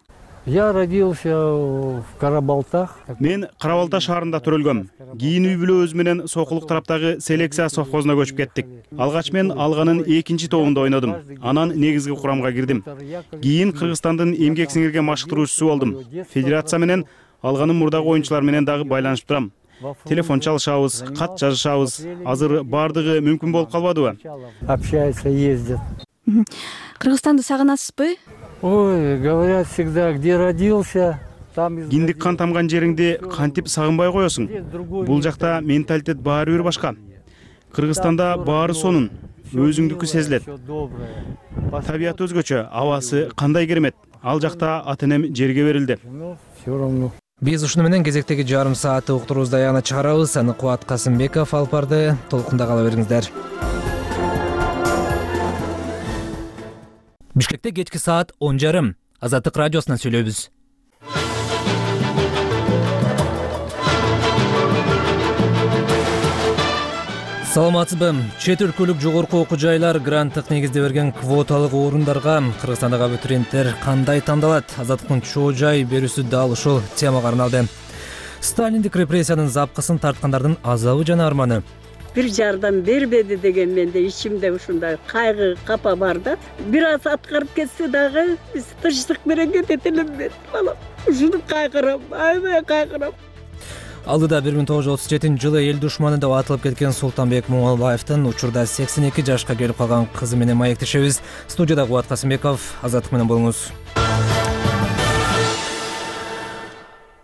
Я родился в Карабалтах. Мен Карабалта шаарында төрөлгөм. Кийин үй бүлө өзү менен Сокулук тараптагы селекция совхозуна көчүп кеттик. Алгач мен Алганын 2-чи тобунда ойнодум. Анан негизги курамга кирдим. Кийин Кыргызстандын эмгек сиңирген машыктыруучусу болдум. Федерация менен Алганын мурдагы оюнчулар менен дагы байланышып турам. Телефон чалышабыз, кат жазышабыз. Азыр бардыгы мүмкүн болуп калбадыбы? Общаются, ездят. Кыргызстанды сагынасызбы? Ой, говорят всегда, где родился, там... Киндик кан тамган жериңди кантип сагынбай коесуң? Бул жакта менталитет баары бир башка. Кыргызстанда баары сонун, өзүңдүкү сезилет. Табият өзгөчө, абасы кандай керемет. Ал жакта ата-энем жерге берилди. Все равно. Биз ушуну менен кезектеги жарым саатты уктуруубузду аягына чыгарабыз. Аны Кубат Касымбеков алып барды. Толкунда кала бериңиздер. Бишкекте кечки саат 10:30. Азаттык радиосунан сүйлөйбүз. Саламатсызбы? Чет өлкөлүк жогорку окуу жайлар гранттык негизде берген квоталык орундарга Кыргызстандагы абитуриенттер кандай тандалат? Азаттыктын чоо жай берүүсү дал ушул темага арналды. Сталиндик репрессиянын запкысын тарткандардын азабы жана арманы. Бир жардам бербеди деген менде ичимде ушундай кайгы, капа бар да. Бир аз аткарып кетсе дагы биз тынчтык менен кетет элембиз, балам. Ушуну кайгырам, аябай кайгырам. Алдыда 1937-жылы эл душманы деп атылып кеткен Султанбек Муңалбаевдин учурда 82 жашка келип калган кызы менен маектешебиз. Студияда Кубат Касымбеков, Азаттык менен болуңуз.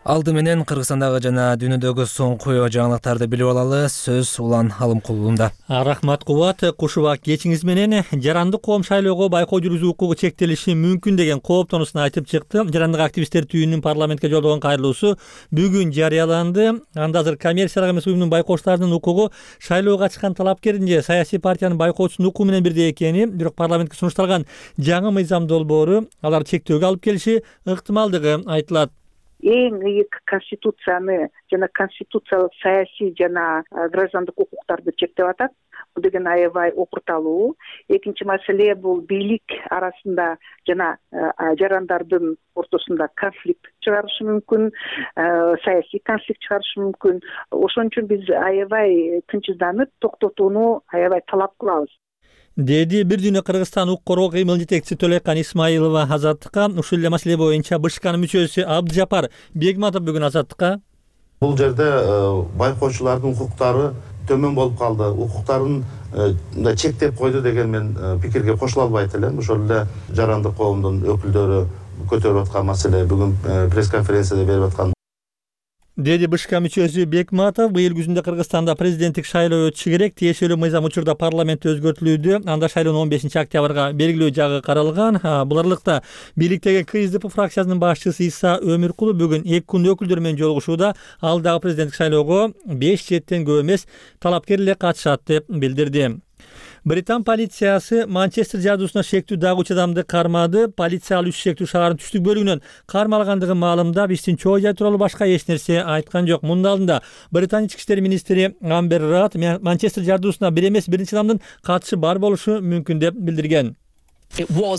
Алды менен Кыргызстандагы жана дүйнөдөгү соңку жаңылыктарды билип алалы. Сөз Улан Алымкулунда. Рахмат Кубат. Кушубак кечиңиз менен жарандык коом шайлоого байкоо жүргүзүү укугу чектелиши мүмкүн деген кооптонусун айтып чыкты. Жарандык активисттер түйүнүнүн парламентке жолдогон кайрылуусу бүгүн жарыяланды. Анда азыр коммерциялык эмес уюмдун байкоочуларынын укугу шайлоого чыккан талапкердин же саясий партиянын байкоочусунун укугу менен бирдей экени, бирок парламентке сунушталган жаңы мыйзам долбоору алар чектөөгө алып келиши ыктымалдыгы айтылат. Эң ыйык конституцияны жана конституциялык саясий жана граждандык укуктарды чектеп атат. Бул деген аябай опурталуу. Экинчи маселе бул бийлик арасында жана жарандардын ортосунда конфликт чыгарышы мүмкүн, саясий конфликт чыгарышы мүмкүн. Ошон үчүн биз аябай тынчсызданып, токтотууну аябай талап кылабыз. Деди бир дүйнө Кыргызстан укук коргоо кыймыл жетекчиси Төлөйкан Исмаилова Азаттыкка. Ушул эле маселе боюнча БШКнын мүчөсү Абдыжапар Бегматов бүгүн Азаттыкка. Бул жерде байкоочулардын укуктары төмөн болуп калды, укуктарын чектеп койду деген мен пикирге кошула албайт элем. Ошол эле жарандык коомдун өкүлдөрү көтөрүп аткан маселе бүгүн пресс-конференцияда берип аткан. Деди БШК мүчөсү Бекматов быйыл күзүндө Кыргызстанда президенттик шайлоо өтүшү керек. Тиешелүү мыйзам учурда парламентте өзгөртүлүүдө. Анда шайлоонун 15-октябрга белгилөө жагы каралган. Бул аралыкта бийликтеги КСДП фракциясынын башчысы Иса Өмүркулу бүгүн 2 күн өкүлдөр менен жолугушууда ал дагы президенттик шайлоого 5 четтен көп эмес талапкер эле катышат деп билдирди. Британ полициясы Манчестер жардуусуна шектүү дагы 3 адамды кармады. Полиция ал 3 шектүү шаардын түштүк бөлүгүнөн кармалгандыгын маалымдап, иштин чоо жай тууралуу башка эч нерсе айткан жок. Мунун алдында Британ ички иштер министри Амбер Рад Манчестер жардуусуна бир эмес биринчи адамдын катышы бар болушу мүмкүн деп билдирген. Бул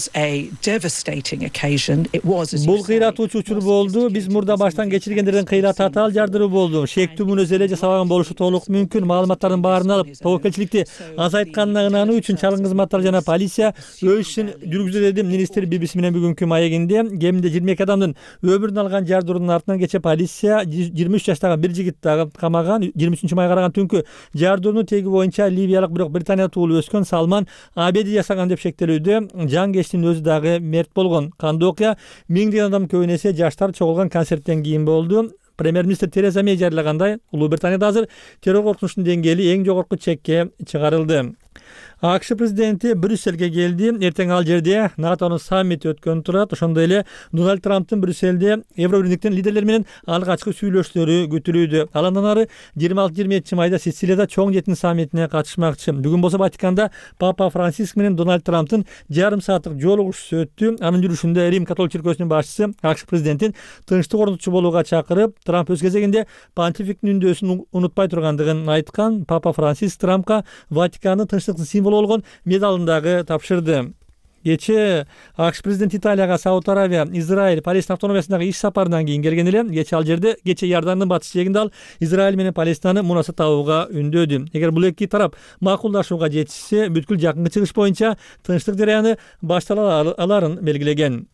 кыйратуучу учур болду. Биз мурда баштан кечиргендердин кыйраты атал жардыруу болду. Шектүү мүнөз эле жасабаган болушу толук мүмкүн. Маалыматтардын баарын алып, тобокелчиликти азайтканына ынануу үчүн чалгын кызматтар жана полиция өз ишин жүргүзүп деди министр BBC менен бүгүнкү маегинде. Кеминде 22 адамдын өмүрүн алган жардыруунун артынан кече полиция 23 жаштагы бир жигит дагы камаган. 23-май караган түнкү жардырууну теги боюнча ливиялык бирок Британия туулуп өскөн Салман Абеди жасаган деп шектелүүдө. Жангечтин өзү дагы мерт болгон. Кандуу окуя миңдеген адам көбүнесе жаштар чогулган концерттен кийин болду. Премьер-министр Тереза Мей жарыялагандай, Улуу Британияда азыр террор коркунучунун деңгээли эң жогорку чекке чыгарылды. АКШ президенти Брюссельге келди. Эртең ал жерде НАТОнун саммити өткөн турат. Ошондой эле Дональд Трамптын Брюссельде Евробирликтин лидерлери менен алгачкы сүйлөшүүлөрү күтүлүүдө. Ал андан ары 26-27 майда Сицилияда чоң жетин саммитине катышмакчы. Бүгүн болсо Ватиканда Папа Франциск менен Дональд Трамптын жарым сааттык жолугушуусу өттү. Анын жүрүшүндө Рим католик чиркөөсүнүн башчысы АКШ президентин тынчтык орнотуучу болууга чакырып, Трамп өз кезегинде понтификтин үндөөсүн унутпай тургандыгын айткан. Папа Франциск Трампка Ватикандын тынчтыктын символу болгон медалын дагы тапшырды. Кечээ АКШ президенти Италияга Сауд Аравия, Израиль, Палестина автономиясындагы иш сапарынан кийин келген эле. Кечээ ал жерде Иордандын батыш жээгинде ал Израиль менен Палестинаны мунасат табууга үндөдү. Эгер бул эки тарап макулдашууга жетишсе, бүткүл жакынкы чыгыш боюнча тынчтык жараяны баштала аларын белгилеген.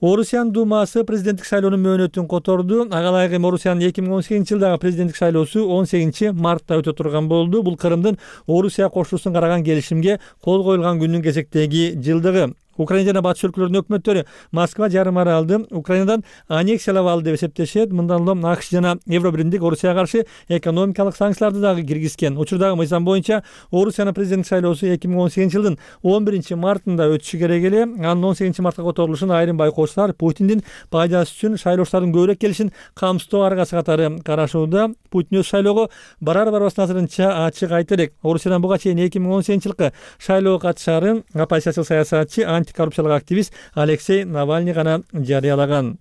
Орусиянын Думасы президенттик шайлоонун мөөнөтүн которду. Ага ылайык эми Орусиянын 2018-жылдагы президенттик шайлоосу 18-мартта өтө турган болду. Бул Крымдын Орусия кошуусун караган келишимге кол коюлган күндүн кезектеги жылдыгы. Украина жана батыш өлкөлөрүнүн өкмөттөрү Москва жарым аралды Украинадан аннексиялап алды деп эсептешет. Мындан улам АКШ жана Евробиримдик Орусияга каршы экономикалык санкцияларды дагы киргизген. Учурдагы мыйзам боюнча Орусиянын президенттик шайлоосу 2018-жылдын 11-мартында өтүшү керек эле. Анын 18-мартка которулушун айрым байкоочулар Путиндин пайдасы үчүн шайлоочулардын көбүрөөк келишин камсыздоо аргасы катары карашууда. Путин өз шайлоого барар-барбастан азырынча ачык айта элек. Орусиядан буга чейин 2018-жылкы шайлоого катышаарын оппозициялык саясатчы антикоррупциялык активист Алексей Навальный гана жарыялаган.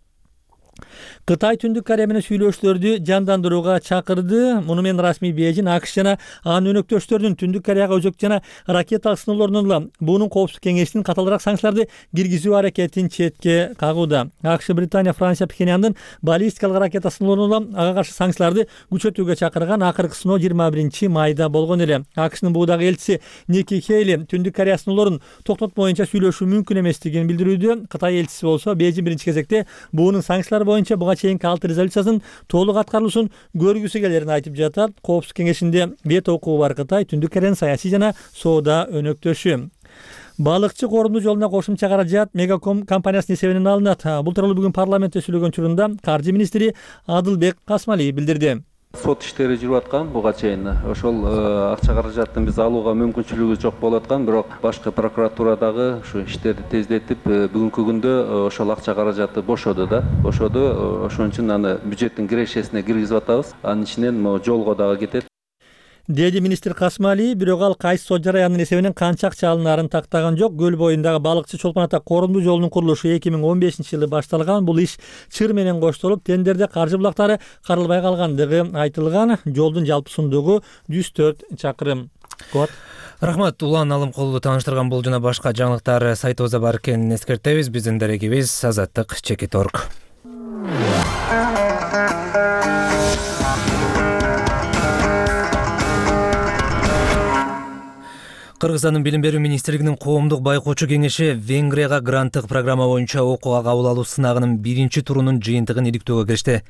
Кытай Түндүк Корея менен сүйлөшүүлөрдү жандандырууга чакырды. Муну менен расмий Бейжин АКШ жана анын өнөктөштөрүнүн Түндүк Кореяга өзөк жана ракеталык сыноолорунун улам буунун коопсуздук кеңешинин каталыраак санкцияларды киргизүү аракетин четке кагууда. АКШ, Британия, Франция Пхеньяндын баллистикалык ракета сыноолорунун улам ага каршы санкцияларды күчөтүүгө чакырган. Акыркы сыноо 21-майда болгон эле. АКШнын буудагы элчиси Ники Хейли Түндүк Корея сыноолорун токтотмоюнча сүйлөшүү мүмкүн эместигин билдирүүдө. Кытай элчиси болсо Бейжин биринчи кезекте буунун санкциялары боюнча буга чейинки 6 резолюциясынын толук аткарылышын көргүсү келерин айтып жатат. Коопсуздук кеңешинде вето укугу бар Кытай Түндүк Кореянын саясий жана соода өнөктөшү. Балыкчы коорунду жолуна кошумча каражат Мегаком компаниясынын эсебинен алынат. Бул тууралуу бүгүн парламентте сүйлөгөн учурунда каржы министри Адылбек Касмалиев билдирди. Сот иштери жүрүп аткан буга чейин ошол акча каражатын биз алууга мүмкүнчүлүгү жок болуп аткан, бирок башкы прокуратурадагы ушу иштерди тездетип бүгүнкү күндө ошол акча каражаты бошоду. Ошон үчүн аны бюджеттин кирешесине киргизип атабыз. Анын ичинен жолго дагы кетет. Деди министр Касмали, бирок ал кайсы сот жараянын эсебинен канча акча алынаарын тактаган жок. Көл боюндагы балыкчы Чолпон Ата коорунду жолунун курулушу 2015-жылы башталган. Бул иш чыр менен коштолуп, тендерде каржы булактары каралбай калгандыгы айтылган. Жолдун жалпы сундугу 104 чакырым. Рахмат, Улан Алымкулду тааныштырган бул жана башка жаңылыктар сайтыбызда бар экенин эскертебиз. Биздин дарегибиз Азаттык.org. Кыргызстандын билим берүү министрлигинин коомдук байкоочу кеңеши Венгрияга гранттык программа боюнча окууга кабыл алуу сынагынын биринчи турунун жыйынтыгын иликтөөгө киришти.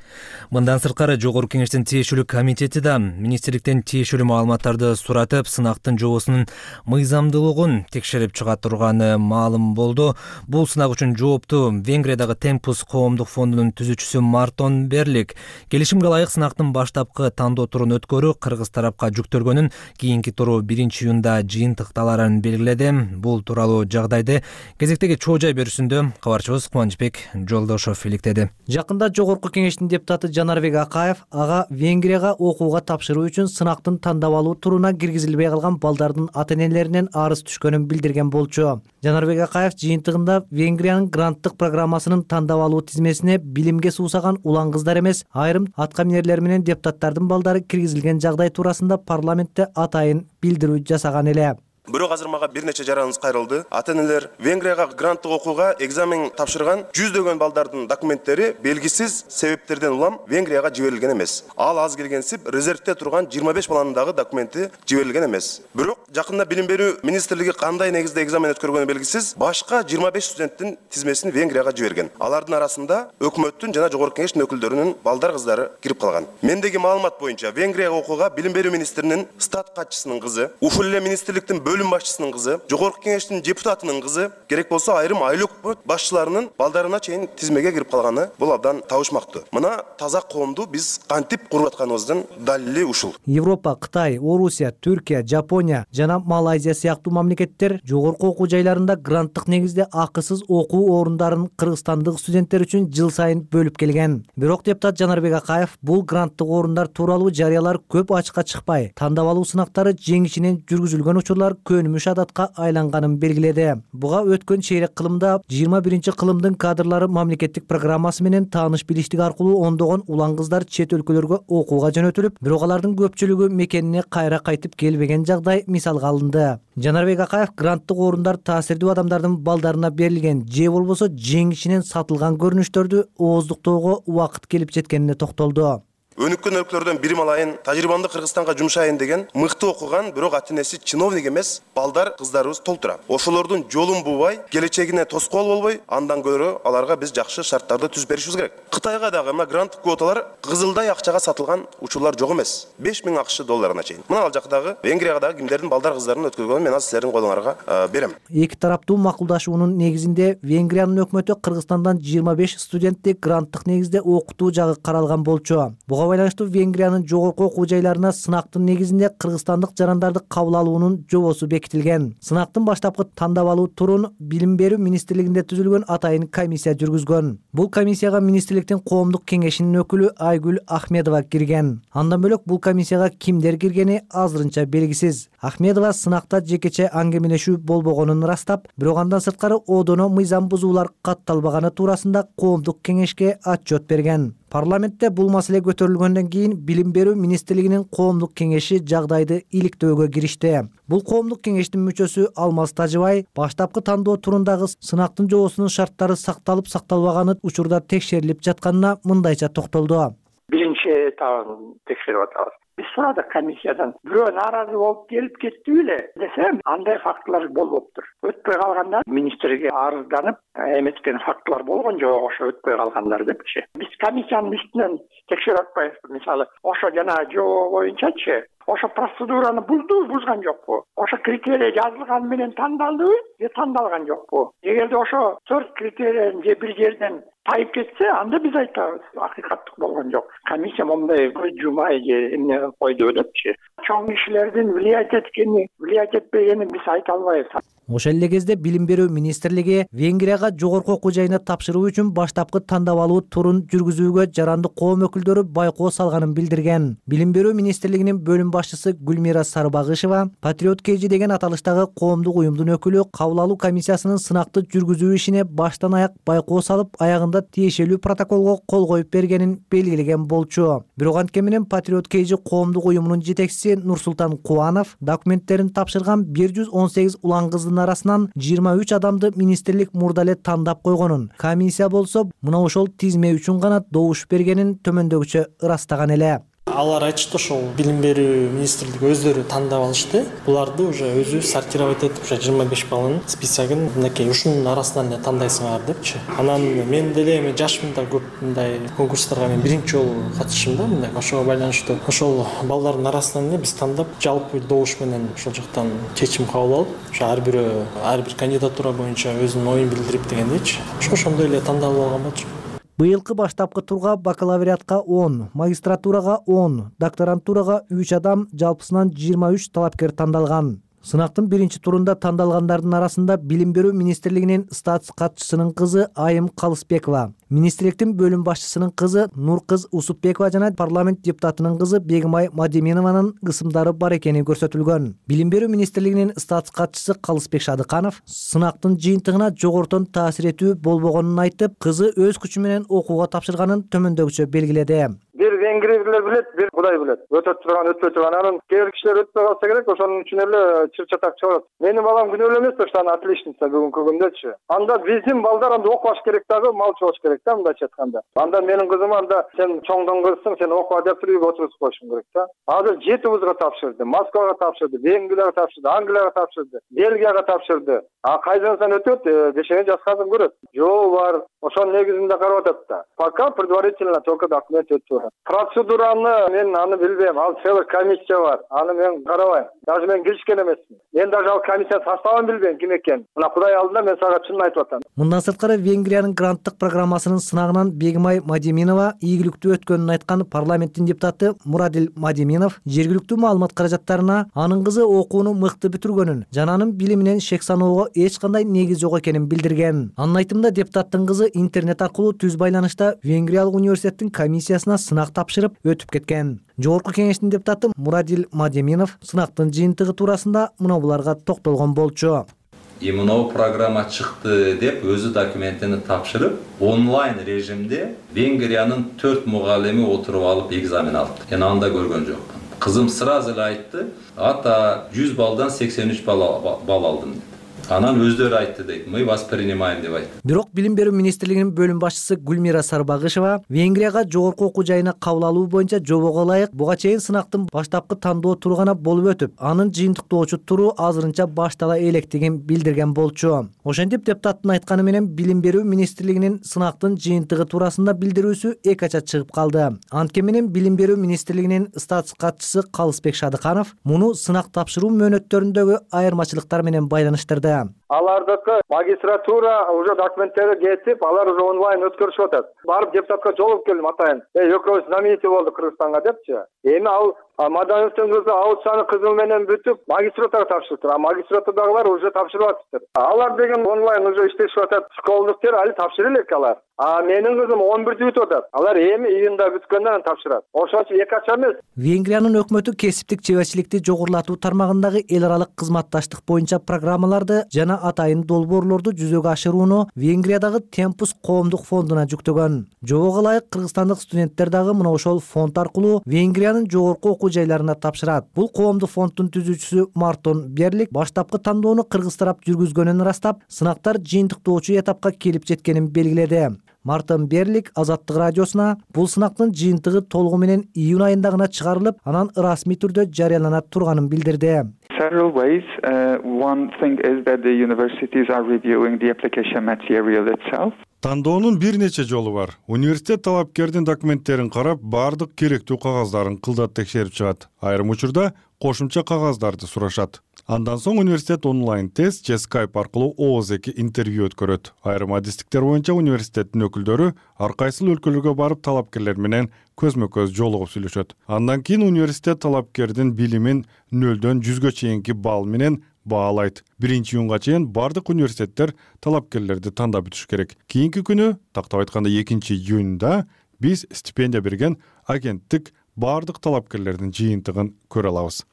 Мындан сырткары Жогорку кеңештин тиешелүү комитети да министрликтен тиешелүү маалыматтарды суратып, сынактын жообусунун мыйзамдуулугун текшерип чыга турганы маалым болду. Бул сынак үчүн жооптуу Венгриядагы Темпус коомдук фондунун түзүүчүсү Мартон Берлик келишимге ылайык сынактын баштапкы тандоо турун өткөрүү Кыргыз тарапка жүктөлгөнүн, кийинки туру 1-июнда жыйынтыкталарын белгиледи. Бул тууралуу жагдайды кезектеги чоо жай берүүсүндө кабарчыбыз Кубанычбек Жолдошов иликтеди. Жакында Жогорку кеңештин депутаты Жанарбек Акаев ага Венгрияга окууга тапшыруу үчүн сынактын тандап алуу туруна киргизилбей калган балдардын ата-энелеринен арыз түшкөнүн билдирген болчу. Жанарбек Акаев жыйынтыгында Венгриянын гранттык программасынын тандап алуу тизмесине билимге суусаган улан кыздар эмес, айрым аткаминерлер менен депутаттардын балдары киргизилген жагдай туурасында парламентте атайын билдирүү жасаган эле. Бирок азыр мага бир нече жараныбыз кайрылды. Ата-энелер Венгрияга гранттык окууга экзамен тапшырган жүздөгөн балдардын документтери белгисиз себептерден улам Венгрияга жиберилген эмес. Ал аз келгенсип резервде турган 25 баланын дагы документи жиберилген эмес. Бирок жакында билим берүү министрлиги кандай негизде экзамен өткөргөнү белгисиз башка 25 студенттин тизмесин Венгрияга жиберген. Алардын арасында өкмөттүн жана Жогорку кеңештин өкүлдөрүнүн балдар кыздары кирип калган. Мендеги маалымат боюнча Венгрияга окууга билим берүү министринин стат катчысынын кызы, ушул эле министрликтин бөлүм башчысынын кызы, Жогорку кеңештин депутатынын кызы, керек болсо айрым айлык өкмөт башчыларынын балдарына чейин тизмеге кирип калганы бул абдан табышмактуу. Мына таза коомду биз кантип куруп атканыбыздын далили ушул. Европа, Кытай, Орусия, Түркия, Жапония жана Малайзия сыяктуу мамлекеттер жогорку окуу жайларында гранттык негизде акысыз окуу орундарын кыргызстандык студенттер үчүн жыл сайын бөлүп келген. Бирок депутат Жанарбек Акаев бул гранттык орундар тууралуу жарыялар көп ачыкка чыкпай, тандап алуу сынактары жеңишинен жүргүзүлгөн учурлар көнүмүш адатка айланганын белгиледи. Буга өткөн чейрек кылымда 21-кылымдын кадрлары мамлекеттик программасы менен тааныш билиштик аркылуу ондогон улан кыздар чет өлкөлөргө окууга жөнөтүлүп, бирок алардын көпчүлүгү мекенине кайра кайтып келбеген жагдай мисалга алынды. Жанарбек Акаев гранттык орундар таасирдүү адамдардын балдарына берилген же болбосо жеңишинен сатылган көрүнүштөрдү ооздуктоого убакыт келип жеткенине токтолду. Өнүккөн өлкөлөрдөн билим алайын, тажрыйбамды Кыргызстанга жумшайын деген мыкты окуган, бирок ата-энеси чиновник эмес балдар, кыздарыбыз толтура. Ошолордун жолун буубай, келечегине тоскоол болбой, андан көрө аларга биз жакшы шарттарды түзүп беришибиз керек. Кытайга дагы мына гранттык квоталар кызылдай акчага сатылган учурлар жок эмес. 5000 акш долларына чейин. Мына ал жактагы Венгрияга дагы кимдердин балдар, кыздарын өткөргөнүн мен азыр силердин колуңарга берем. Эки тараптуу макулдашуунун негизинде Венгриянын өкмөтү Кыргызстандан 25 студентти гранттык негизде окутуу жагы каралган болчу. Буга байланыштуу Венгриянын жогорку окуу жайларына сынактын негизинде кыргызстандык жарандарды кабыл алуунун жобосу бекитилген. Сынактын баштапкы тандап алуу турун Билим берүү министрлигинде түзүлгөн атайын комиссия жүргүзгөн. Бул комиссияга министрликтин коомдук кеңешинин өкүлү Айгүл Ахмедова кирген. Андан бөлөк бул комиссияга кимдер киргени азырынча белгисиз. Ахмедова сынакта жекече аңгемелешүү болбогонун ырастап, бирок андан сырткары одоно мыйзам бузуулар катталбаганы туурасында коомдук кеңешке отчет берген. Парламентте бул маселе көтөрүлгөндөн кийин Билим берүү министрлигинин коомдук кеңеши жагдайды иликтөөгө киришти. Бул коомдук кеңештин мүчөсү Алмаз Тажыбай баштапкы тандоо турундагы сынактын жобосунун шарттары сакталып сакталбаганы учурда текшерилип жатканына мындайча токтолду. Биринчи этабын текшерип атабыз. Биз сурадык комиссиядан. Бирөө нааразы болуп келип кетти беле десем, андай фактылар болуптур. Өтпөй калганда министрге арызданып, эметкен фактылар болгон жок, ошо өтпөй калгандар депчи. Биз комиссиянын үстүнөн текшерип атпайбыз. Мисалы, ошо жана жобо боюнчачы ошо процедураны бузган жокпу? Ошо критерий жазылган менен тандалдыбы же тандалган жокпу? Эгерде ошо 4 критерийден же бир жерден тайып кетсе, анда биз айтабыз, акыйкаттык болгон жок. Комиссия момундай жумай же эмне койду депчи. Чоң кишилердин влиять этпегенин биз айта албайбыз. Ошол эле кезде Билим берүү министрлиги Венгрияга жогорку окуу жайына тапшыруу үчүн баштапкы тандап алуу турун жүргүзүүгө жарандык коом өкүлдөрү байкоо салганын билдирген. Билим берүү министрлигинин бөлүм башчысы Гүлмира Сарбагышева Патриот KG деген аталыштагы коомдук уюмдун өкүлү кабыл алуу комиссиясынын сынакты жүргүзүү ишине баштан аяк байкоо салып, аягында тиешелүү протоколго кол коюп бергенин белгилеген болчу. Бирок анткени менен Патриот KG коомдук уюмунун жетекчиси Нурсултан Кубанов документтерин тапшырган 118 улан кыздын арасынан 23 адамды министрлик мурда эле тандап койгонун, комиссия болсо мына ошол тизме үчүн гана добуш бергенин төмөндөгүчө ырастаган эле. Алар айтышты, ошол Билим берүү министрлиги өздөрү тандап алышты. Буларды уже өзү сортировать этип, уже 25 баланын списогун мынакей ушунун арасынан эле тандайсыңар депчи. Анан мен деле эми жашмын да, көп мындай конкурстарга мен биринчи жолу катышым да, мындай ошого байланыштуу. Ошол балдардын арасынан эле биз тандап, жалпы добуш менен ошол жактан чечим кабыл алып, ошо ар бир кандидатура боюнча өзүнүн оюн билдирип дегендейчи. Ошондой эле тандалып алган болчу. Быйылкы баштапкы турга бакалавриатка 10, магистратурага 10, докторантурага 3 адам, жалпысынан 23 талапкер тандалган. Сынактын биринчи турунда тандалгандардын арасында Билим берүү министрлигинин статс катчысынын кызы Айым Калысбекова, министрликтин бөлүм башчысынын кызы Нуркыз Усупбекова жана парламент депутатынын кызы Бегимай Мадиминованын ысымдары бар экени көрсөтүлгөн. Билим берүү министрлигинин статс катчысы Калысбек Шадыканов сынактын жыйынтыгына жогортон таасир этүү болбогонун айтып, кызы өз күчү менен окууга тапшырганын төмөндөгүчө белгиледи. Бир венгрийлер билет, бир Кудай билет. Өтөп турган, өтпөй турган. Анан кээ бир кишилер өтпөй калса керек, ошонун үчүн эле чыр-чатак чыгарат. Менин балам күнөөлүү эмес, ошон отличница бүгүнкү күндөчү. Анда биздин балдар анда окубаш керек дагы, малчы болуш керек да, мындайча айтканда. Анда менин кызым анда сен чоңдон кызсың, сен окуа деп үйгө отургузуп коюшуң керек да. Азыр 7 вузга тапшырды. Москвага тапшырды, Венгрияга тапшырды, Англияга тапшырды, Бельгияга тапшырды. А кайдансан өтөт, бешеген жашкасын көрөт. Жол бар, ошонун негизинде карап атат да. Пока предварительно только документ өтүп. Процедураны мен аны билбейм. Ал целый комиссия бар. Аны мен карабайм. Даже мен киришкен эмесмин. Мен даже ал комиссия составын билбейм ким экенин. Мына Кудай алдында мен сага чынын айтып атам. Мындан сырткары Венгриянын гранттык программасынын сынагынан Бегимай Мадиминова ийгиликтүү өткөнүн айткан парламенттин депутаты Мурадил Мадиминов жергиликтүү маалымат каражаттарына анын кызы окууну мыкты бүтүргөнүн жана анын билиминен шек саноого эч кандай негиз жок экенин билдирген. Анын айтымында депутаттын кызы интернет аркылуу түз байланышта Венгриялык университеттин комиссиясына сынак тапшырып өтүп кеткен. Жогорку кеңештин депутаты Мурадил Мадеминов сынактын жыйынтыгы туурасында мына буларга токтолгон болчу. Мынау программа чыкты деп өзү документini тапшырып, онлайн режимде Венгриянын 4 мугалими отуруп алып экзамен алды. Мен анда көргөн жокмун. Кызым сразу эле айтты, ата 100 балдан 83 бал алдым деп. Анан өздөрү айтты дейт, мы вас принимаем деп айтты. Бирок билим берүү министрлигинин бөлүм башчысы Гүлмира Сарбагышева Венгрияга жогорку окуу жайына кабыл алуу боюнча жобого ылайык буга чейин сынактын баштапкы тандоо туру гана болуп өтүп, анын жыйынтыктоочу туру азырынча баштала электигин билдирген болчу. Ошентип депутаттын айтканы менен билим берүү министрлигинин сынактын жыйынтыгы туурасында билдирүүсү эки ача чыгып калды. Анткени менен билим берүү министрлигинин статус катчысы Калысбек Шадыканов муну сынак тапшыруу мөөнөттөрүндөгү айырмачылыктар менен байланыштырды. Алардыкы магистратура уже документтери кетип, алар уже онлайн өткөрүшүп атат. Барып депутатка жолугуп келдим атайын. Экөөбүз знаменитый болдук Кыргызстанга депчи. Эми ал Мадановдун кызы аудицияны кызыл менен бүтүп, магистратурага тапшырыптыр. А магистратурадагылар уже тапшырып атыптыр. Алар деген онлайн уже иштешип атат. Школдуктер али тапшырып элек алар. А менин кызым 11-дө бүтүп атат. Алар эми июнда бүткөндөн кийин тапшырат. Ошон үчүн эки ача эмес. Венгриянын өкмөтү кесиптик чеберчиликти жогорулатуу тармагындагы эл аралык кызматташтык боюнча программаларды жана атайын долбоорлорду жүзөгө ашырууну Венгриядагы Темпус коомдук фондуна жүктөгөн. Жобого ылайык кыргызстандык студенттер дагы мына ошол фонд аркылуу Венгриянын жогорку окуу жайларына тапшырат. Бул коомдук фонддун түзүүчүсү Мартон Берлик баштапкы тандоону кыргыз тарап жүргүзгөнүн ырастап, сынактар жыйынтыктоочу этапка келип жеткенин белгиледи. Мартон Берлик Азаттык радиосуна бул сынактын жыйынтыгы толугу менен июнь айында гана чыгарылып, анан расмий түрдө жарыялана турганын билдирди. Several ways. One thing is that the universities are reviewing the application material itself. Тандоонун бир нече жолу бар. Университет талапкердин документтерин карап, бардык керектүү кагаздарын кылдат текшерип чыгат. Айрым учурда кошумча кагаздарды сурашат. Андан соң университет онлайн тест же Skype аркылуу ооз-2 интервью өткөрөт. Айрым адистиктер боюнча университеттин өкүлдөрү ар кайсыл өлкөлөргө барып талапкерлер менен көзмө-көз жолугуп сүйлөшөт. Андан кийин университет талапкердин билимин 0-дөн 100гө чейинки балл менен баалайт. 1-июнга чейин бардык университеттер талапкерлерди тандап бүтүш керек. Кийинки күнү, тактап айтканда 2-июнда биз стипендия берген агенттик бардык талапкерлердин жыйынтыгын көрө алабыз.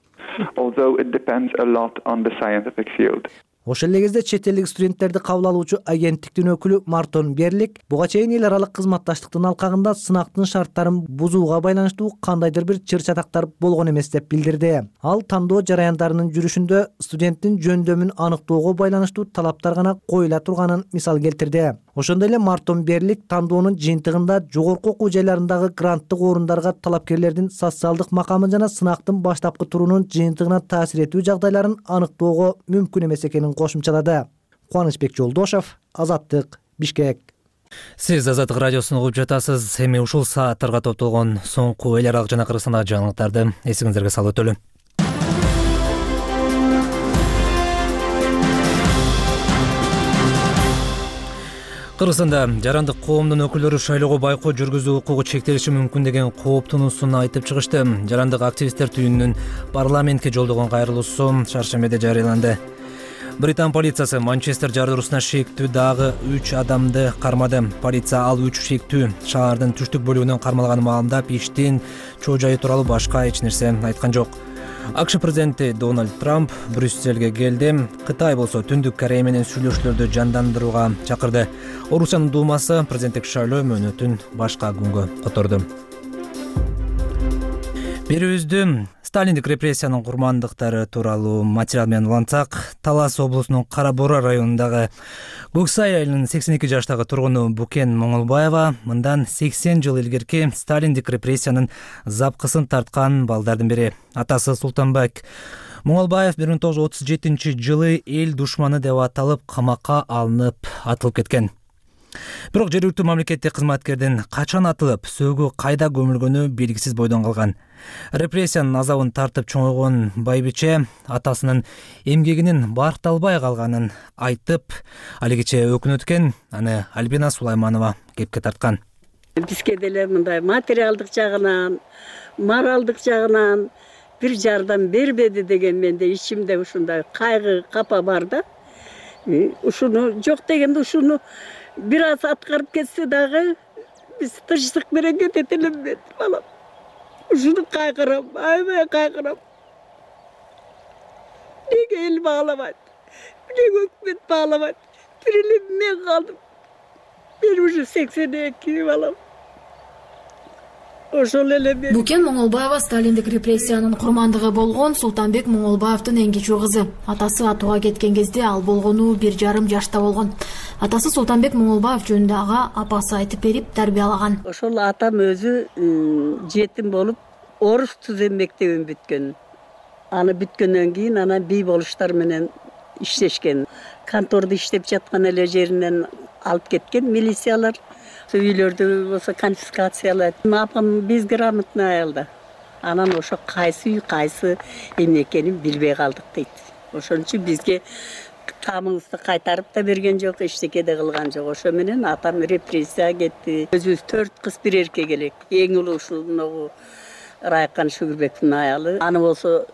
Although it depends a lot on the scientific field. Ошол эле кезде чет элдик студенттерди кабыл алуучу агенттиктин өкүлү Мартон Берлик буга чейин эл аралык кызматташтыктын алкагында сынактын шарттарын бузууга байланыштуу кандайдыр бир чыр-чатактар болгон эмес деп билдирди. Ал тандоо жараяндарынын жүрүшүндө студенттин жөндөмүн аныктоого байланыштуу талаптар гана коюла турганын мисал келтирди. Ошондой эле Мартон Берлик тандоонун жыйынтыгында жогорку окуу жайларындагы гранттык орундарга талапкерлердин социалдык макамы жана сынактын баштапкы турунун жыйынтыгына таасир этүү жагдайларын аныктоого мүмкүн эмес экенин кошумчалады. Кубанычбек Жолдошов, Азаттык, Бишкек. Сиз Азаттык радиосун угуп жатасыз. Эми ушул сааттарга топтолгон соңку эл аралык жана Кыргызстандагы жаңылыктарды эсиңиздерге салып өтөлү. Кыргызстанда жарандык коомдун өкүлдөрү шайлоого байкоо жүргүзүү укугу чектелиши мүмкүн деген кооптунуусун айтып чыгышты. Жарандык активисттер түйүнүнүн парламентке жолдогон кайрылуусу чаршембиде жарыяланды. Британ полициясы Манчестер жардыруусуна шектүү дагы 3 адамды кармады. Полиция ал 3 шектүү шаардын түштүк бөлүгүнөн кармалганын маалымдап, иштин чоо жайы тууралуу башка эч нерсе айткан жок. АКШ президенти Дональд Трамп Брюссельге келди. Кытай болсо Түндүк Корея менен сүйлөшүүлөрдү жандандырууга чакырды. Орусиянын Думасы президенттик шайлоо мөөнөтүн башка күнгө которду. Берүүбүздү Сталиндик репрессиянын курмандыктары тууралуу материал менен улантсак, Талас облусунун Кара Бора районундагы Көксай айылынын 82 жаштагы тургуну Букен Моңолбаева мындан 80 жыл илгерки Сталиндик репрессиянын запкысын тарткан балдардын бири. Атасы Султанбек Моңолбаев 1937 эл душманы деп аталып, камакка алынып, атылып кеткен. Бирок жергиликтүү мамлекеттик кызматкердин качан атылып, сөөгү кайда көмүлгөнү белгисиз бойдон калган. Репрессиянын азабын тартып чоңойгон байбиче атасынын эмгегинин баркталбай калганын айтып, алигиче өкүнөт экен. Аны Альбина Сулайманова кепке тарткан. Бизге деле мындай материалдык жагынан, моралдык жагынан бир жардам бербеди деген менде ичимде ушундай кайгы, капа бар да. Ушуну жок дегенде ушуну бир аз аткарып кетсе дагы биз тынчтык менен кетет элем балам. ушуну кайгырам, аябай кайгырам. Неге эл багламайт, неге өкмөт багламайт, бир эле мен калдым. Мен уже 82 балам. Ошол эле мен. Букен Моңолбаева сталиндик репрессиянын курмандыгы болгон Султанбек Моңолбаевдин эң кичүү кызы. Атасы атууга кеткен кезде ал болгону 1,5 жашта болгон. Атасы Султанбек Моңолбаев жөнүндө ага апасы айтып берип тарбиялаган. Ошол атам өзү жетим болуп, орус түзем мектебин бүткөн. Аны бүткөндөн кийин анан бий болуштар менен иштешкен. Контордо иштеп жаткан эле жеринен алып кеткен милициялар. Үйлөрдү болсо конфискациялайт. Апам безграмотный аял да. Анан ошо кайсы үй кайсы эмне экенин билбей калдык дейт. Ошон үчүн бизге тамыбызды кайтарып да берген жок, эчтеке да кылган жок. Ошо менен атам репрессия кетти. Өзүбүз 4 кыз 1 эркек элек. Эң улуу ушуногу Райкан Шүгүрбековдун аялы. Аны болсо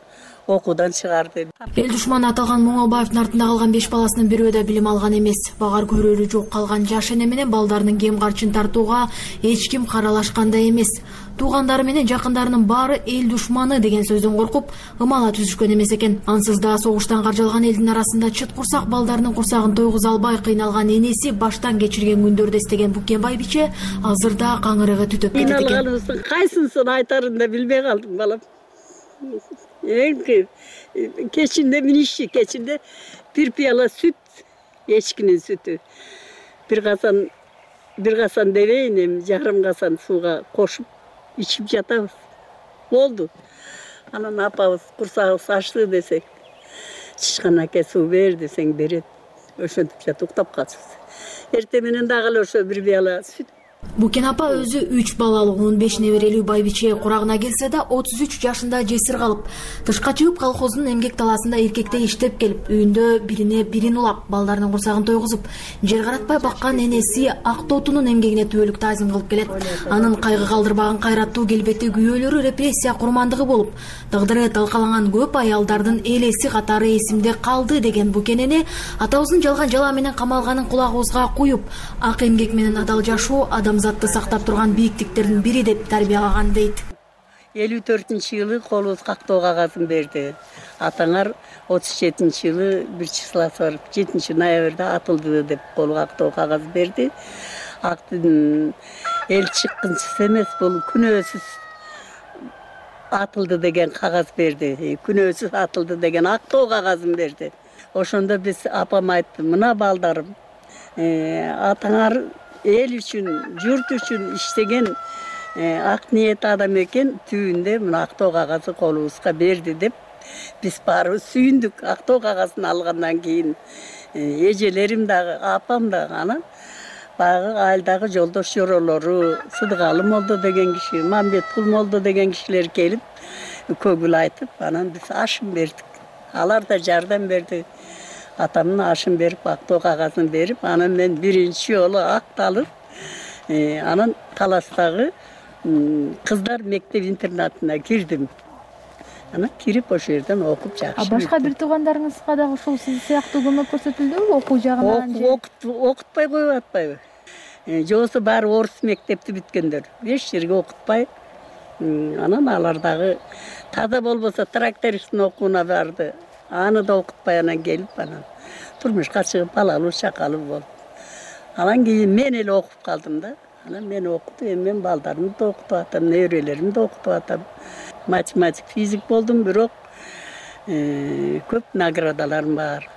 окуудан чыгарды. Эл душманы аталган Моңолбаевдин артында калган 5 баласынын бирөө да билим алган эмес. Багар көрөрү жок калган жаш эне менен балдарынын кем карчын тартууга эч ким каралашкан да эмес. Туугандары менен жакындарынын баары эл душманы деген сөздөн коркуп, ымала түзүшкөн эмес экен. Ансыз да согуштан каржалган элдин арасында чыт курсак балдарынын курсагын тойгуза албай кыйналган энеси баштан кечирген күндөрдү эстеген Букен байбиче азырда каңырыгы түтөп кетет экен. Кыйналганыбыздын кайсысын айтарын да билбей калдым балам. Кечинде миниши, кечинде 1 пияла сүт, эчкинин сүтү. Bir касан дебейин, эми жарым касан сууга кошуп ичип жатабыз. Болду. Анан апабыз курсагыбыз ачты десек, чычкан аке суу бер десең берет. Ошентип жатып уктап калчубуз. Эртең менен дагы ошо 1 пияла сүт. Букен апа өзү 3 балалуу 15 неберелүү байбиче курагына келсе да 33 жашында жесир калып, тышка чыгып колхоздун эмгек таласында эркектей иштеп келип, үйүндө бирине бирин улап, балдарынын курсагын тойгузуп, жер каратпай баккан энеси Актотунун эмгегине түбөлүк таазим кылып келет. Анын кайгы калдырбаган кайраттуу келбетти күйөөлөрү репрессия курмандыгы болуп, тагдыры талкаланган көп аялдардын элеси катары эсимде калды деген Букен эне атабыздын жалган жала менен камалганын кулагыбызга куюп, ак эмгек менен адал жашоо адамзатты сактап турган бийиктиктердин бири деп тарбиялаган дейт. 54-жылы колубуз кактоо кагазын берди. Атаңар 37-жылы 1 числосы бар, 7 ноябрда атылды деп кол кактоо кагаз берди. Эл чыккынчысы эмес, бул күнөөсүз атылды деген кагаз берди. Күнөөсүз атылды деген актоо кагазын берди. Ошондо биз апам айтты, мына балдарым, атаңар эл үчүн, журт үчүн иштеген ак ниет адам экен, түбүндө мына актоо кагазы колубузга берди деп биз баарыбыз сүйүндүк. Актоо кагазын алгандан кийин эжелерим дагы, апам дагы, анан баягы айылдагы жолдош жоролору, Сыдыкалы молдо деген киши, Мамбеткул молдо деген кишилер келип көгүл айтып, анан биз ашын бердик. Алар да жардам берди. Атамдын ашын берип, актоо кагазын берип, анан мен биринчи жолу акталып, анан Таластагы кыздар мектеп интернатына кирдим. Анан кирип ошол жерден окуп жакшы. Башка бир туугандарыңызга дагы ушул сиз сыяктуу көмөк көрсөтүлдүбү окуу жагынан? Окутпай коюп атпайбы? Жобосо баары орус мектепти бүткөндөр. Эч жерге окутпай. Анан алар дагы таза болбосо трактористтин окууна барды. Аны да окутпай анан келип, анан турмушка чыгып балалуу чакалуу болуп. Анан кийин мен эле окуп калдым да. Анан мен окутуп, мен балдарымды да окутуп атам, неберелеримди да окутуп атам. Математик, физик болдум, бирок көп наградаларым бар.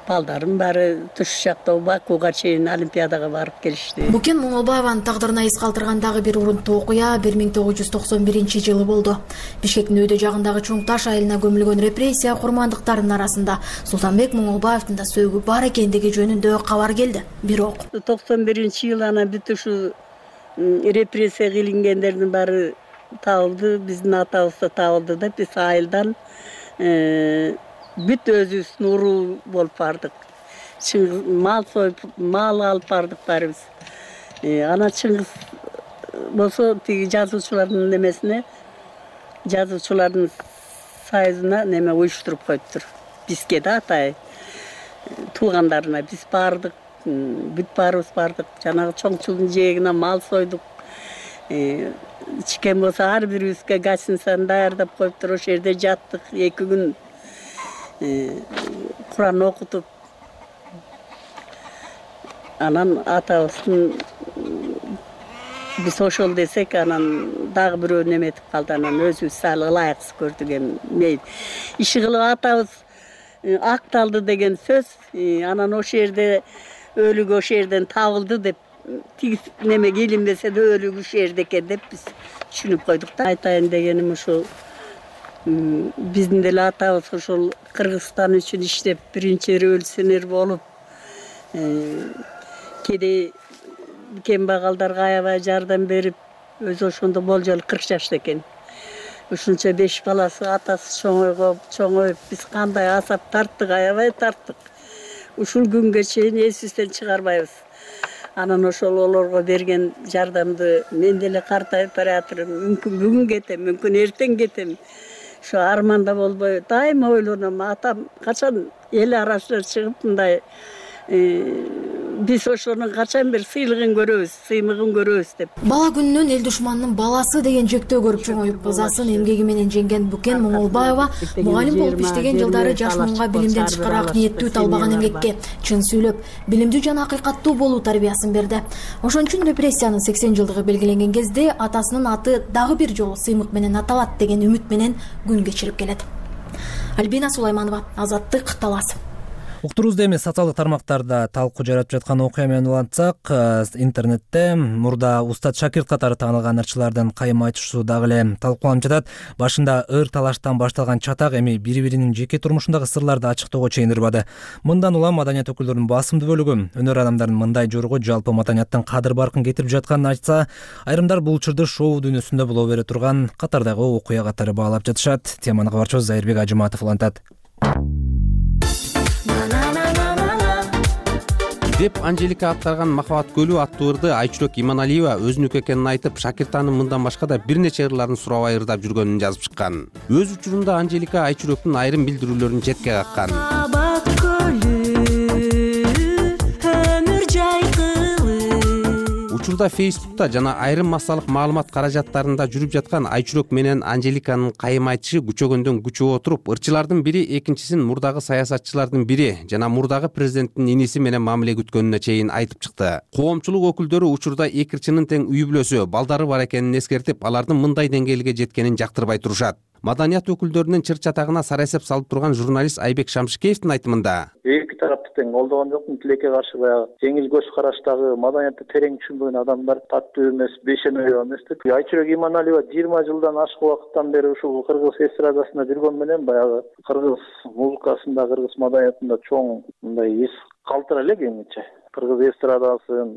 Балдарым баары туш жакта Бакууга чейин олимпиадага барып келишти. Букен Моңолбаеванын тагдырына из калтырган дагы бир урунттуу окуя 1991-жылы болду. Бишкектин өйдө жагындагы Чуң Таш айылына көмүлгөн репрессия курмандыктарынын арасында Султанбек Моңолбаевдин да сөөгү бар экендиги жөнүндө кабар келди. Бирок 91-жылы анан бүт ушу репрессия кылынгендердин баары табылды, биздин атабыз да табылды да, биз айылдан бүт өзүбүздүн уруу болуп бардык. Мал союп, мал алып бардык баарыбыз. Анан Чыңгыз болсо тиги жазуучулардын немесине, жазуучулардын союзуна неме уюштуруп коюптур. Бизге да атай туугандарына биз бардык, бүт баарыбыз бардык. Жанагы чоңчулдун жээгине мал сойдук. ичкен болсо ар бирибизге гостиницаны даярдап коюптур. Ошол жерде жаттык 2 күн. Куран окутуп, анан атабыздын биз ошол десек, анан дагы бирөө неметип калды. Анан өзүбүз сал ылайыксыз көрдүк. Эми иши кылып атабыз акталды деген сөз. Анан ошол жерде өлүгү ошол жерден табылды деп, тигиз неме келинбесе да өлүгү ошол жерде экен деп биз түшүнүп койдук да. Айтайын дегеним ушул, биздин деле атабыз ошол Кыргызстан үчүн иштеп, биринчи революционер болуп, кедей кембагалдарга аябай жардам берип, өзү ошондо болжол 40 жашта экен. Ушунча 5 баласы, атасы чоңоюп, биз кандай азап тарттык, аябай тарттык. Ушул күнгө чейин эсибизден чыгарбайбыз. Анан ошол олорго берген жардамды мен деле картайып баратырмын. Мүмкүн бүгүн кетем, мүмкүн эртең кетем. Ошо арманда болбой дайыма ойлоном. Атам качан эл арасына чыгып мындай биз ошонун качан бир сыйлыгын көрөбүз, сыймыгын көрөбүз деп. Бала күнүнөн эл душманынын баласы деген жектөө көрүп чоңоюп, ызасын эмгеги менен жеңген Букен Моңолбаева мугалим болуп иштеген жылдары жаш муунга билимден тышкараак ниеттүү талбаган эмгекке чын сүйлөп, билимдүү жана акыйкаттуу болуу тарбиясын берди. Ошон үчүн репрессиянын 80 жылдыгы белгиленген кезде атасынын аты дагы бир жолу сыймык менен аталат деген үмүт менен күн кечирип келет. Альбина Сулайманова, Азаттык, Талас. Уктурубузда эми социалдык тармактарда талкуу жаратып жаткан окуя менен улантсак, интернетте мурда Устат Шакирт катары таанылган ырчылардын кайым айтышуу дагы эле талкууланып жатат. Башында ыр талаштан башталган чатак эми бири-биринин жеке турмушундагы сырларды ачыктоого чейин ырбады. Мындан улам маданият өкүлдөрүнүн басымдуу бөлүгү өнөр адамдарынын мындай жоругу жалпы маданияттын кадыр баркын кетирип жатканын айтса, айрымдар бул учурду шоу дүйнөсүндө боло бере турган катардагы окуя катары баалап жатышат. Теманы кабарчыбыз Зайырбек Ажыматов улантат. деп Анжелика аттарган Махабат көлү аттуу ырды Айчүрөк Иманалиева өзүнүкү экенин айтып, Шакиртанын мындан башка да бир нече ырларын сурабай ырдап жүргөнүн жазып чыккан. Өз учурунда Анжелика Айчүрөктүн айрым билдирүүлөрүн четке каккан. Махабат көлү өмүр жайкылы. Учурда Facebook'та жана айрым массалык маалымат каражаттарында жүрүп жаткан Айчүрөк менен Анжеликанын кайым айтышы күчөгөндөн күчөп отуруп, ырчылардын бири экинчисин мурдагы саясатчылардын бири жана мурдагы президенттин иниси менен мамиле күткөнүнө чейин айтып чыкты. Коомчулук өкүлдөрү учурда эки ырчынын тең үй бүлөсү, балдары бар экенин эскертип, алардын мындай деңгээлге жеткенин жактырбай турушат. Маданият өкүлдөрүнүн чыр-чатагына сара эсеп салып турган журналист Айбек Шамшыкеевдин айтымында эки тарапты тең колдогон жокмун, тилекке каршы баягы жеңил көз караштагы, маданиятты терең түшүнбөгөн адамдар таттуу эмес, бешенебей эмес деп. Айчүрөк Иманалиева 20 жылдан ашык убакыттан бери ушул кыргыз эстрадасында жүргөн менен баягы кыргыз музыкасында, кыргыз маданиятында чоң мындай эс калтыра элек эмче. Кыргыз эстрадасын,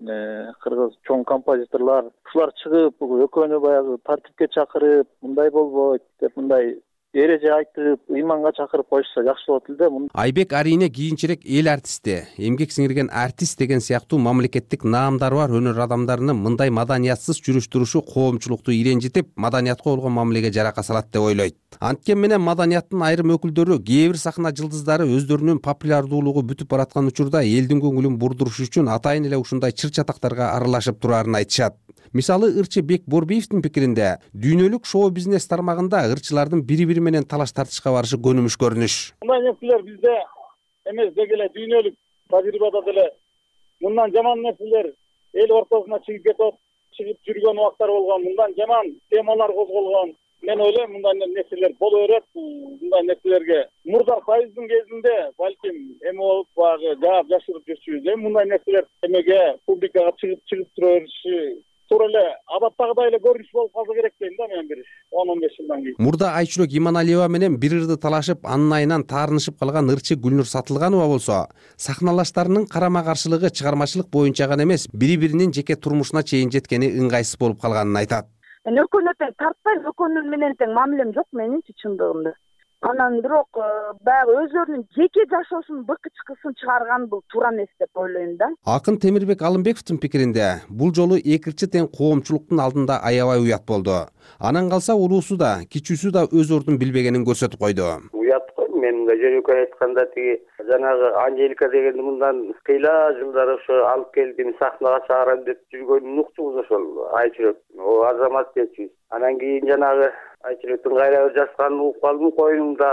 кыргыз чоң композиторлор ушулар чыгып, экөөнү баягы тартипке чакырып, мындай болбойт деп мындай эреже айтып, ыйманга чакырып коюшса жакшы болот эле да. Айбек арине кийинчерээк эл артисти, эмгек сиңирген артист деген сыяктуу мамлекеттик наамдары бар өнөр адамдарынын мындай маданиятсыз жүрүш турушу коомчулукту иренжитип, маданиятка болгон мамилеге жарака салат деп ойлойт. Анткени менен маданияттын айрым өкүлдөрү, кээ бир сахна жылдыздары өздөрүнүн популярдуулугу бүтүп бараткан учурда элдин көңүлүн бурдуруш үчүн атайын эле ушундай чыр-чатактарга аралашып турарын айтышат. Мисалы, ырчы Бек Борбиевдин пикиринде, дүйнөлүк шоу-бизнес тармагында ырчылардын бири-бири менен талаш тартышка барышы көнүмүш көрүнүш. Мындай нерселер бизде эмес, деги эле дүйнөлүк тажрыйбада деле мындан жаман нерселер эл ортосуна чыгып кетип, чыгып жүргөн убактар болгон, мындан жаман темалар козголгон. Мен ойлойм, мындай нерселер боло берет. Мындай нерселерге мурда Союздун кезинде балким эме болуп багы жаап жашырып жүрчүбүз. Мындай нерселер эмеге публикага чыгып тура бериши туура эле адаттагыдай эле көрүнүш болуп калса керек дейм да мен, бир 10-15 жылдан кийин. Мурда Айчүрөк Иманалиева менен бир ырды талашып, анын айынан таарынышып калган ырчы Гүлнур Сатылганова болсо, сахналаштарынын карама-каршылыгы чыгармачылык боюнча гана эмес, бири-биринин жеке турмушуна чейин жеткени ыңгайсыз болуп калганын айтат. Мен экөөнү тең тартпайм, экөөнүн менен тең мамилем жок менинчи чындыгында. Анан бирок баягы өзлөрүнүн жеке жашоосунун быкычкысын чыгарган бул туура эмес деп ойлойм да. Акын Темирбек Алымбековдун пикиринде, бул жолу эки ырчы тең коомчулуктун алдында аябай уят болду. Анан калса улуусу да, кичүүсү да өз ордун билбегенин көрсөтүп койду. Уят го, мен эле жөнөкөй айтканда тиги жанагы Анжелика дегенди мындан кыйла жылдар ошо алып келдим сахнага чыгарам деп жүргөнүн уктубуз ошол Айчүрөк азамат депчи. Анан кийин жанагы Айчүрөктүн кайра бир жазганын угуп калдым, коюнумда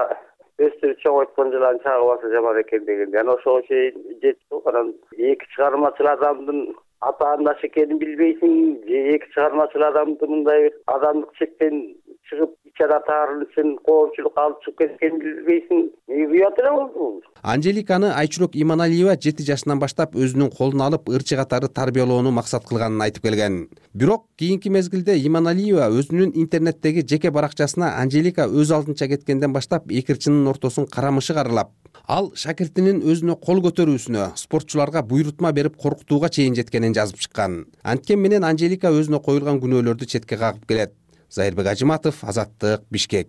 өстүрүп чоңойткон жылан чагып алса жаман экен дегенди. Анан ошого чейин жетти. Анан эки чыгармачыл адамдын атаандаш экенин билбейсиң, эки чыгармачыл адамды мындай бир адамдык чектен чыгып ичара таарын үчүн коомчулукка алып чыгып кеткенин билбейсиң. Уят эле болду. Анжеликаны Айчүрөк Иманалиева 7 жашынан баштап өзүнүн колуна алып ырчы катары тарбиялоону максат кылганын айтып келген. Бирок кийинки мезгилде Иманалиева өзүнүн интернеттеги жеке баракчасына Анжелика өз алдынча кеткенден баштап эки ырчынын ортосун карамышы каралап, ал шакиртинин өзүнө кол көтөрүүсүнө, спортчуларга буйрутма берип коркутууга чейин жеткенин жазып чыккан. Анткени менен Анжелика өзүнө коюлган күнөөлөрдү четке кагып келет. Зайырбек Ажыматов, Азаттык, Бишкек.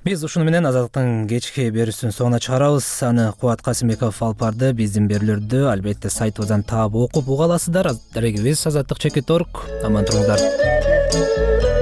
Биз ушуну менен Азаттыктын кечки берүүсүнүн соңуна чыгарабыз. Аны Кубат Касымбеков алып барды. Биздин берүүлөрдү албетте сайтыбыздан таап окуп уга аласыздар. Дарегибиз Азаттык Чекит.org. Аман туруңуздар.